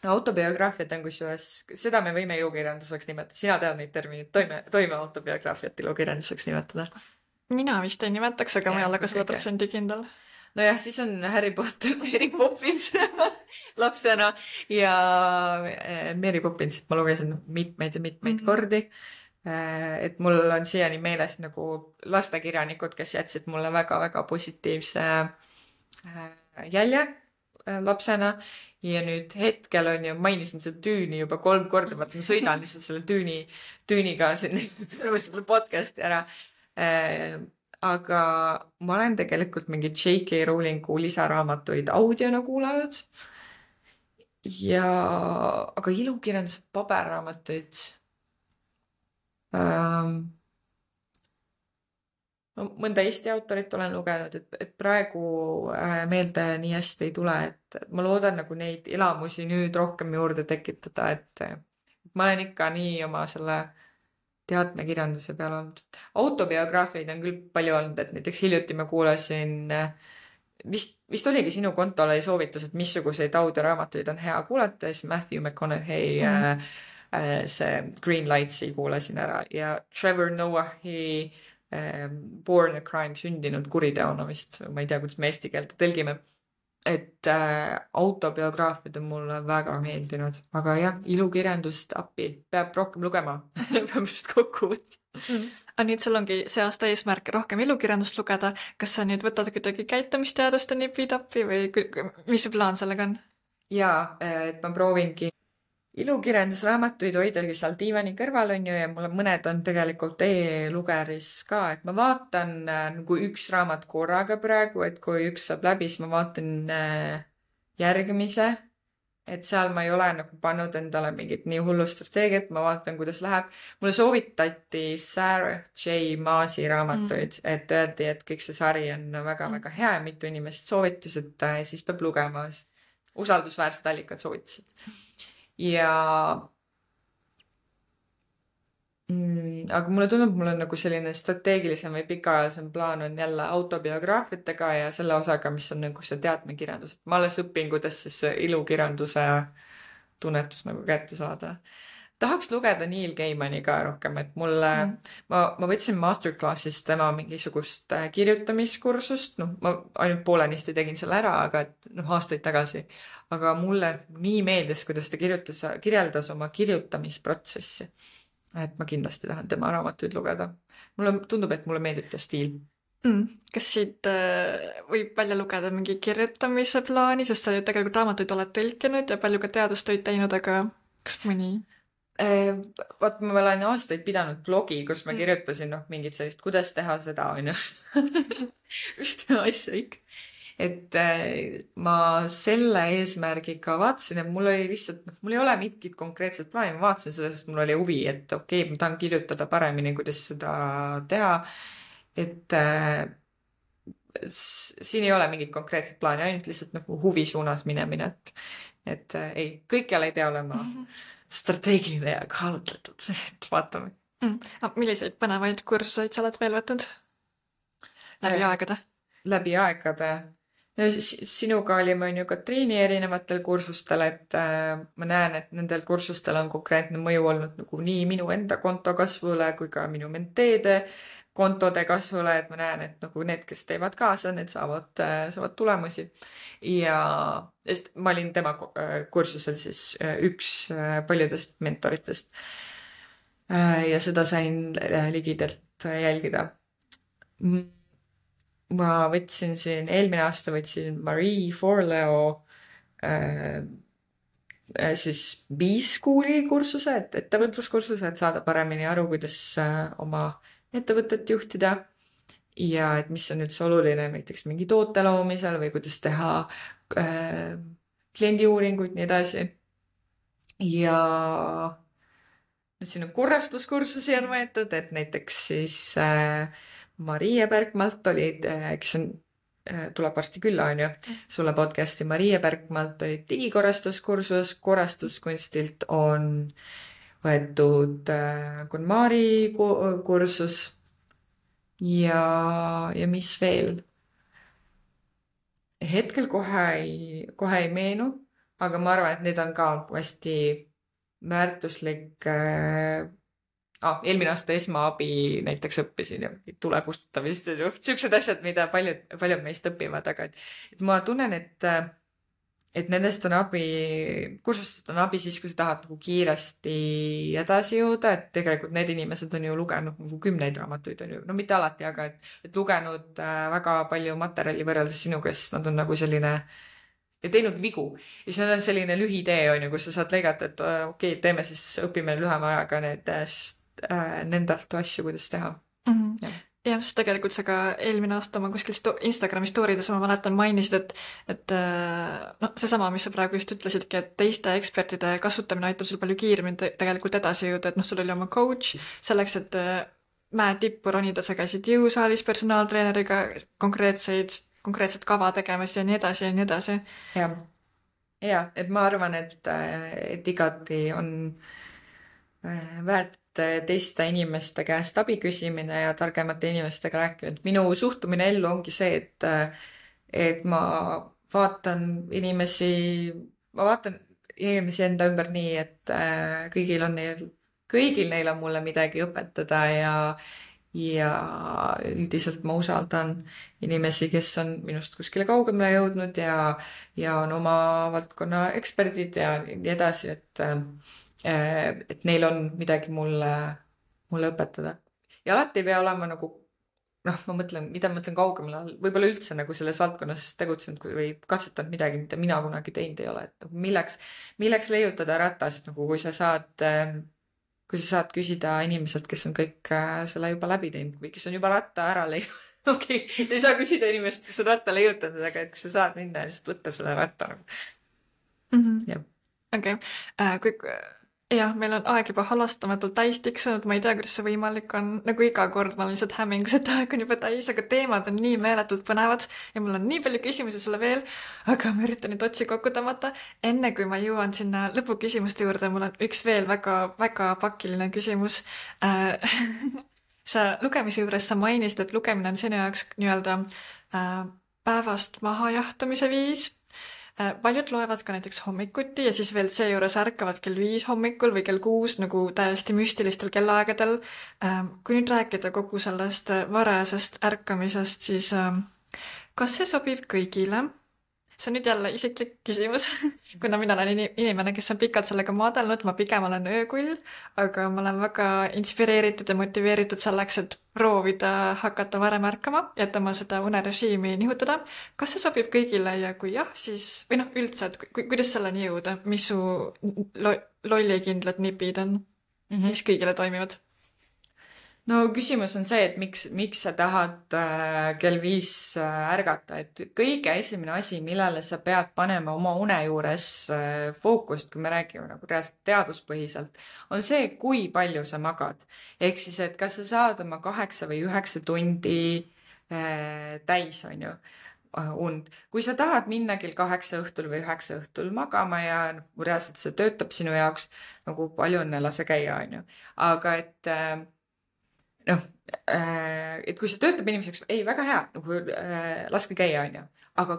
autobiograafiat on kusjuures, seda me võime ilukirjanduseks nimetada, sina tead neid termineid, toime autobiograafiat ilukirjanduseks nimetada. Mina vist ei nimetaks, aga ma ei ole ka 100% kindel. Nojah, siis on Harry Potter, Mary Poppins lapsena ja Mary Poppinsit ma lugesin mitmeid ja mitmeid kordi. Et mul on siiani meeles nagu lastekirjanikud, kes jätsid mulle väga-väga positiivse jälje lapsena ja nüüd hetkel on ju, mainisin seda Düüni juba 3 korda, ma sõidan lihtsalt selle Düüniga selle podcast'i ära. Aga ma olen tegelikult mingi J.K. Rowlingu lisaraamatuid audiona kuulanud aga ilukirjanduse paberraamatuid mõnda Eesti autorit olen lugenud, et praegu meelde nii hästi ei tule, et ma loodan nagu neid elamusi nüüd rohkem juurde tekitada, et ma olen ikka nii oma selle teatmekirjanduse peal olnud. Autobiograafiaid on küll palju olnud, et näiteks hiljuti ma kuulasin, vist oligi sinu kontol oli soovitus, et missuguseid audioraamatuid on hea kuulata, siis Matthew McConaughey see Green Lights'i kuulasin ära ja Trevor Noahi Born a Crime, sündinud kuriteona vist, ma ei tea, kuidas me eesti keelde tõlgime, et autobiograafiad on mulle väga meeldinud, aga jah, ilukirjandust appi, peab rohkem lugema, peab just kokku võtma. Aga nüüd sul ongi see aasta eesmärk rohkem ilukirjandust lugeda, kas sa nüüd võtad kuidagi käitumisteaduste nipi-tappi või mis su plaan sellega on? Jaa, et ma proovingi ilukirjandusraamatuid hoidagi seal diivani kõrval on ju ja mul mõned on tegelikult e-lugeris ka, et ma vaatan nagu üks raamat korraga praegu, et kui üks saab läbi, siis ma vaatan järgmise, et seal ma ei ole nagu pannud endale mingit nii hullu strateegiat, ma vaatan, kuidas läheb. Mulle soovitati Sarah J. Maasi raamatuid, et öeldi, et kõik see sari on väga-väga hea ja mitu inimest soovitas, et siis peab lugema, usaldusväärsed allikad soovitasid. Ja aga mulle tundub, mul on nagu selline strateegilisem või pikaajalisem plaan on jälle autobiograafiatega ja selle osaga, mis on nagu see teatmekirjandus. Et ma alles õpin, kuidas siis ilukirjanduse tunnetus nagu kätte saada. Tahaks lugeda Neil Gaimani ka rohkem, et mulle, ma võtsin masterclassist tema mingisugust kirjutamiskursust, ma ainult poolenisti tegin selle ära, aga aastaid tagasi. Aga mulle nii meeldis, kuidas ta kirjeldas oma kirjutamisprotsessi. Et ma kindlasti tahan tema raamatuid lugeda. Mulle tundub, et mulle meeldib ta stiil. Kas siit võib välja lugeda mingi kirjutamise plaani, sest sa ju tegelikult raamatuid oled tõlkinud ja palju ka teadustöid teinud, aga kas mõni? Vaat ma olen aastaid pidanud blogi, kus ma kirjutasin mingit sellist, kuidas teha seda, on ju. Ühte asja ikka. Et ma selle eesmärgiga vaatasin, et mul oli lihtsalt, mul ei ole mingit konkreetset plaani, ma vaatasin seda, sest mul oli huvi, et okei, ma tahan kirjutada paremini, kuidas seda teha. Et siin ei ole mingit konkreetset plaani, ainult lihtsalt nagu huvi suunas minemine, et ei, kõikjal ei pea olema strateegiline ja kaalutletud, et vaatame. Milliseid põnevaid kursuseid sa oled veel võtnud? Läbi aegade? Läbi aegade. Sinuga olime on ju Katriini erinevatel kursustel, et ma näen, et nendel kursustel on konkreetne mõju olnud nagu nii minu enda konto kasvule kui ka minu menteede kontode kasvule, et ma näen, et nagu need, kes teevad kaasa, need saavad tulemusi. Ja ma olin tema kursusel siis üks paljudest mentoritest. Ja seda sain ligidelt jälgida. Ma võtsin siin, eelmine aasta võtsin Marie Forleo siis B-Schooli kursuse, et ettevõtluskursuse, et saada paremini aru, kuidas oma ettevõtet juhtida ja et mis on üldse oluline näiteks mingi toote loomisel või kuidas teha kliendiuuringuid, nii edasi. Ja nüüd siin on korrastuskursusi on võetud, et näiteks siis Marie Bergmalt olid, kes on, tuleb varsti külla, on ju, sulle podcasti Marie Bergmalt oli digikorrastuskursus, korrastuskunstilt on võetud KonMari kursus ja mis veel? Hetkel kohe ei meenu, aga ma arvan, et need on ka hästi väärtuslik eelmine aasta esmaabi näiteks õppisin ja tule kustutamist ja siuksed asjad, mida paljud meist õpivad, aga et ma tunnen, et nendest on abi, kursustest on abi siis, kui sa tahad nagu kiiresti edasi jõuda, et tegelikult need inimesed on ju lugenud nagu 10 raamatuid, on ju, no mitte alati, aga et lugenud väga palju materjali võrreldes sinuga, sest nad on nagu selline ja teinud vigu. Ja siis on selline lühitee, on ju, kus sa saad lõigata, et okei, teeme siis, õpime lühema ajaga nendelt asju, kuidas teha. Jah, sest tegelikult sa ka eelmine aasta oma kuskil Instagrami storydes ma mäletan mainisid, et seesama, mis sa praegu just ütlesidki, et teiste ekspertide kasutamine aitab sul palju kiiremini tegelikult edasi jõuda, et sul oli oma coach selleks, et mäe tippu ronida, sa käisid jõusaalis personaaltreeneriga konkreetset kava tegemas ja nii edasi ja nii edasi. Ja, et ma arvan, et igati on väärt teiste inimeste käest abi küsimine ja targemate inimestega rääkimine. Minu suhtumine ellu ongi see, et ma vaatan inimesi enda ümber nii, et kõigil neil on mulle midagi õpetada ja üldiselt ma usaldan inimesi, kes on minust kuskile kaugemale jõudnud ja on oma valdkonna eksperdid ja nii edasi, et neil on midagi mulle õpetada. Ja alati ei pea olema nagu, ma mõtlen kaugemale, võib-olla üldse nagu selles valdkonnas tegutsenud või katsetanud midagi, mida mina kunagi teinud ei ole. Et milleks leiutada ratast, nagu kui sa saad küsida inimeselt, kes on kõik selle juba läbi teinud või kes on juba ratta ära leiutanud. Okei, ei saa küsida inimest, kes on ratta leiutanud, aga et kui sa saad minna ja lihtsalt võtta selle ratta. Okei. Jah, meil on aeg juba halastamatult täis tiksunud, ma ei tea, kuidas see võimalik on, nagu iga kord ma olen lihtsalt hämmingus, et aeg on juba täis, aga teemad on nii meeletult põnevad ja mul on nii palju küsimusi sulle veel, aga ma üritan nüüd otsi kokku tõmmata. Enne kui ma jõuan sinna lõpuküsimuste juurde, mul on üks veel väga, väga pakiline küsimus. Sa lugemise juures sa mainisid, et lugemine on sinu jaoks nii-öelda päevast mahajahtumise viis. Paljud loevad ka näiteks hommikuti ja siis veel seejuures ärkavad kell 5 hommikul või kell 6 nagu täiesti müstilistel kellaaegadel. Kui nüüd rääkida kogu sellest varasest ärkamisest, siis kas see sobib kõigile? See on nüüd jälle isiklik küsimus, kuna mina olen inimene, kes on pikalt sellega maadelnud, ma pigem olen öökull, aga ma olen väga inspireeritud ja motiveeritud selleks, et proovida hakata varem ärkama, et oma seda unerežiimi nihutada. Kas see sobib kõigile ja kui jah, siis, või üldse, et kuidas selleni jõuda, mis su lollikindlad nipid on, mis kõigile toimivad? No küsimus on see, et miks sa tahad kell 5 ärgata, et kõige esimene asi, millele sa pead panema oma une juures fookust, kui me räägime nagu teaduspõhiselt, on see, kui palju sa magad. Ehk siis, et kas sa saad oma 8 või 9 tundi täis, on ju, und. Kui sa tahad minna kell 8 õhtul või 9 õhtul magama ja reaalselt see töötab sinu jaoks, nagu palju õnne, lase käia, on ju. Aga et kui see töötab inimeseks, ei, väga hea, nagu laske käia, on ju. Aga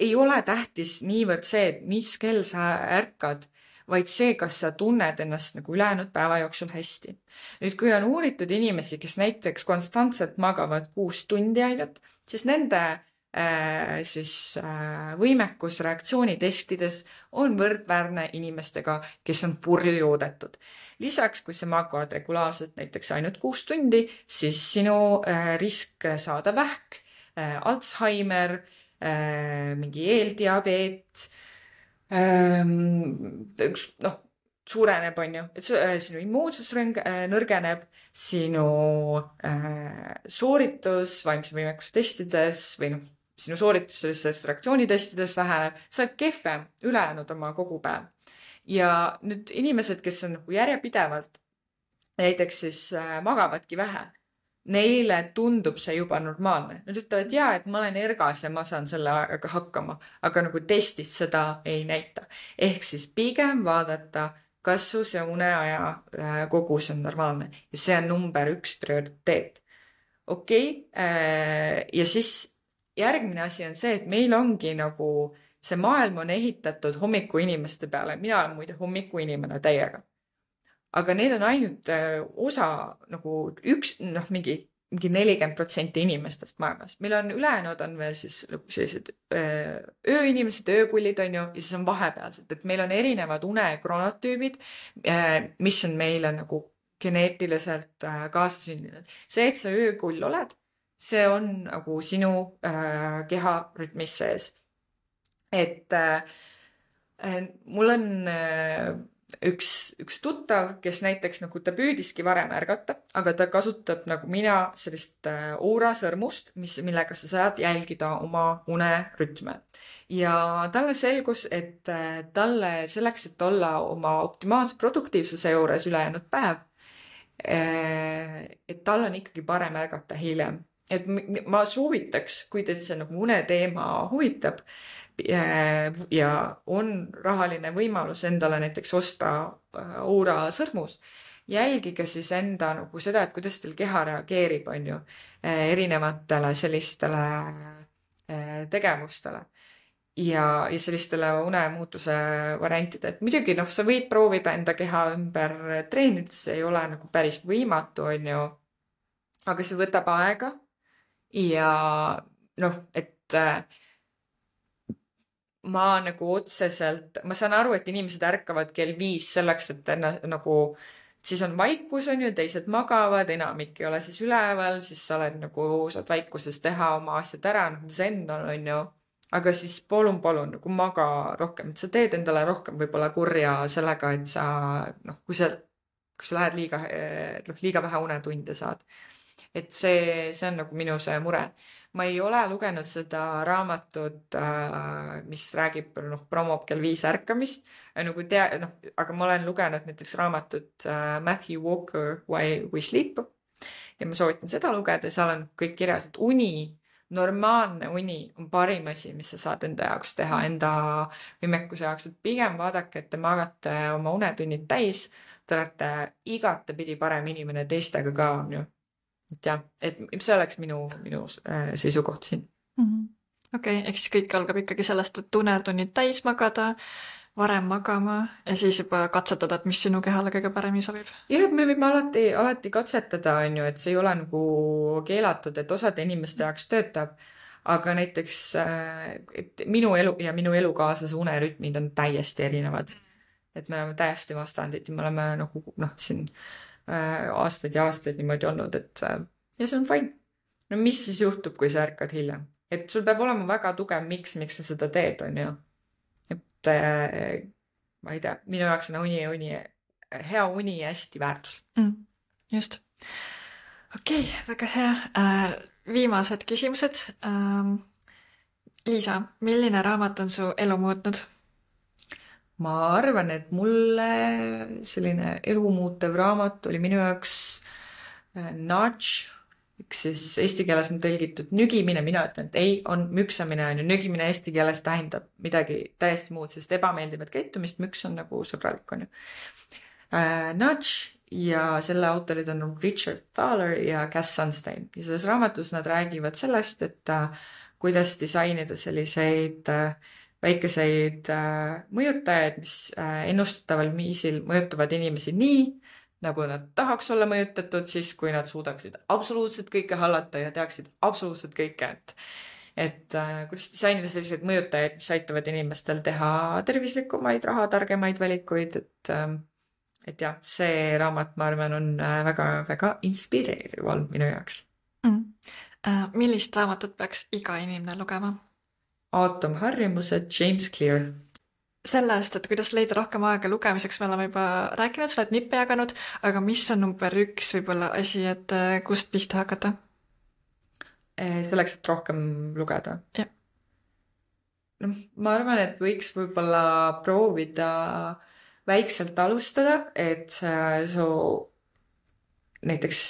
ei ole tähtis niivõrd see, et mis kell sa ärkad, vaid see, kas sa tunned ennast nagu ülejäänud päeva jooksul hästi. Nüüd, kui on uuritud inimesi, kes näiteks konstantselt magavad 6 tundi ainult, siis nende võimekus reaktsioonitestides on võrdväärne inimestega, kes on purju joodetud. Lisaks, kui sa magad regulaarselt näiteks ainult 6 tundi, siis sinu risk saada vähk, Alzheimer, mingi eeldiabeet, suureneb, on ju, et sinu immuunsus nõrgeneb, sinu sooritus vaimse võimekuse testides või sinu sooritus sellistes reaktsioonitestides väheneb, sa oled kehvem ülejäänud oma kogu päev. Ja nüüd inimesed, kes on järjepidevalt näiteks siis magavadki vähe, neile tundub see juba normaalne. Nad ütlevad, et ma olen ergas ja ma saan selle ajaga hakkama, aga nagu testid seda ei näita. Ehk siis pigem vaadata, kas su see uneaja kogus on normaalne ja see on number 1 prioriteet. Okei, ja siis järgmine asi on see, et meil ongi nagu see maailm on ehitatud hommikuinimeste peale. Mina olen muide hommikuinimene täiega. Aga need on ainult osa nagu mingi 40% inimestest maailmas. Meil on ülejäänud on veel siis sellised ööinimesed, öökullid on ju, ja siis on vahepealsed, et meil on erinevad unekronotüübid, mis on meile nagu geneetiliselt kaasasündinud. See, et sa öökull oled, see on nagu sinu keha rütmis sees. Et mul on üks tuttav, kes näiteks nagu ta püüdiski varem ärgata, aga ta kasutab nagu mina sellist oorasõrmust, millega sa saad jälgida oma unerütme. Ja talle selgus, et talle selleks, et olla oma optimaalse produktiivsuse juures ülejäänud päev, et tal on ikkagi parem ärgata hiljem. Et ma soovitaks, kui teid see nagu uneteema huvitab, ja on rahaline võimalus endale näiteks osta Oura sõrmus, jälgige siis enda nagu seda, et kuidas teil keha reageerib, on ju, erinevatele sellistele tegevustele ja sellistele unemuutuse variantide. Et muidugi sa võid proovida enda keha ümber treenida, see ei ole nagu päris võimatu, on ju, aga see võtab aega ja et ma nagu otseselt, ma saan aru, et inimesed ärkavad kell 5 selleks, et nagu siis on vaikus, on ju, teised magavad, enamik ei ole siis üleval, siis sa oled nagu, saad vaikuses teha oma asjad ära, zen on ju, aga siis palun nagu maga rohkem, et sa teed endale rohkem võib-olla kurja sellega, et sa, kui sa lähed liiga vähe unetunde saad. Et see on nagu minu see mure. Ma ei ole lugenud seda raamatut, mis räägib, promob kell 5 ärkamist, aga ma olen lugenud näiteks raamatut Matthew Walker Why We Sleep ja ma soovitan seda lugeda, seal on kõik kirjas, et normaalne uni on parim asi, mis sa saad enda jaoks teha, enda võimekuse jaoks, et pigem vaadake, et te magate oma unetunnid täis, te olete igatepidi parem inimene teistega ka, on ju. Et jah, et see oleks minu seisukoht siin. Okei, ehk siis kõik algab ikkagi sellest, et unetunnid täis magada, varem magama ja siis juba katsetada, et mis sinu kehale kõige paremini sobib. Jah, me võime alati katsetada, on ju, et see ei ole nagu keelatud, et osade inimeste jaoks töötab, aga näiteks et minu elu ja minu elukaaslase unerütmid on täiesti erinevad. Et me oleme täiesti vastandid ja me oleme nagu siin aastaid ja aastaid niimoodi olnud, et ja see on fine. No mis siis juhtub, kui sa ärkad hiljem? Et sul peab olema väga tugev miks sa seda teed, on ju. Et ma ei tea, minu jaoks on hea uni hästi väärtuslik. Just. Okei, väga hea. Viimased küsimused. Liisa, milline raamat on su elu muutnud? Ma arvan, et mulle selline elumuutev raamat oli minu jaoks nudge, siis eesti keeles on tõlgitud nügimine, mina ütlen, et ei, on müksamine, on ju, nügimine eesti keeles tähendab midagi täiesti muud, sest ebameeldivat käitumist, müks on nagu sõbralik, on ju. Nudge ja selle autorid on Richard Thaler ja Cass Sunstein ja selles raamatus nad räägivad sellest, et kuidas disainida selliseid väikeseid mõjutajaid, mis ennustataval viisil mõjutavad inimesi nii, nagu nad tahaks olla mõjutatud, siis kui nad suudaksid absoluutselt kõike hallata ja teaksid absoluutselt kõike. Et kuidas disainida selliseid mõjutajaid, mis aitavad inimestel teha tervislikumaid, rahatargemaid valikuid. Et jah, see raamat, ma arvan, on väga inspireeriv olnud minu jaoks. Millist raamatut peaks iga inimene lugema? Aatomharjumused, James Clear. Sellest, et kuidas leida rohkem aega lugemiseks, me oleme juba rääkinud, sa oled nippe jaganud, aga mis on number 1 võib-olla asi, et kust pihta hakata? Selleks, et rohkem lugeda. Ja. Ma arvan, et võiks võib-olla proovida väikselt alustada, et näiteks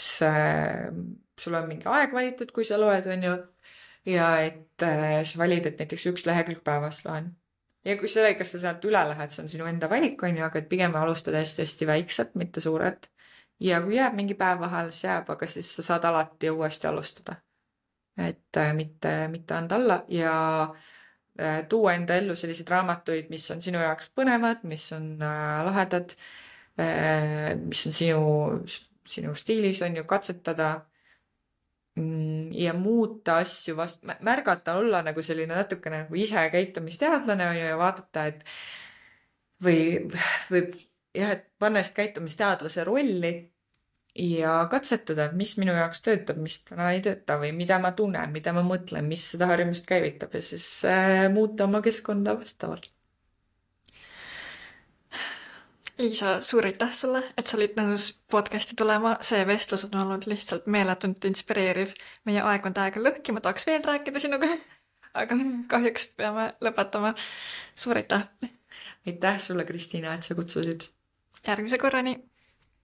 sul on mingi aeg valitud, kui sa loed, on ju, ja et sa valid, et näiteks 1 lehekülg päevas loen. Ja kui kas sa sealt üle lähed, see on sinu enda valik, on ju, aga et pigem alustada hästi väikselt, mitte suurelt. Ja kui jääb mingi päev vahel, see jääb, aga siis sa saad alati uuesti alustada. Et mitte anda alla ja tuua enda ellu selliseid raamatuid, mis on sinu jaoks põnevad, mis on lahedad, mis on sinu stiilis, on ju, katsetada ja muuta asju märgata, olla nagu selline natukene nagu ise käitumisteadlane, on ju, ja vaadata, et või jah, et panna ennast käitumisteadlase rolli ja katsetada, mis minu jaoks töötab, mis täna ei tööta või mida ma tunnen, mida ma mõtlen, mis seda harjumust käivitab ja siis muuta oma keskkonda vastavalt. Liisa, suur aitäh sulle, et sa olid nõus podcasti tulema. See vestlus on olnud lihtsalt meeletult inspireeriv. Meie aeg on täiega lõhki, ma tahaks veel rääkida sinuga, aga kahjuks peame lõpetama. Suur aitäh! Aitäh sulle, Kristiina, et sa kutsusid! Järgmise korrani!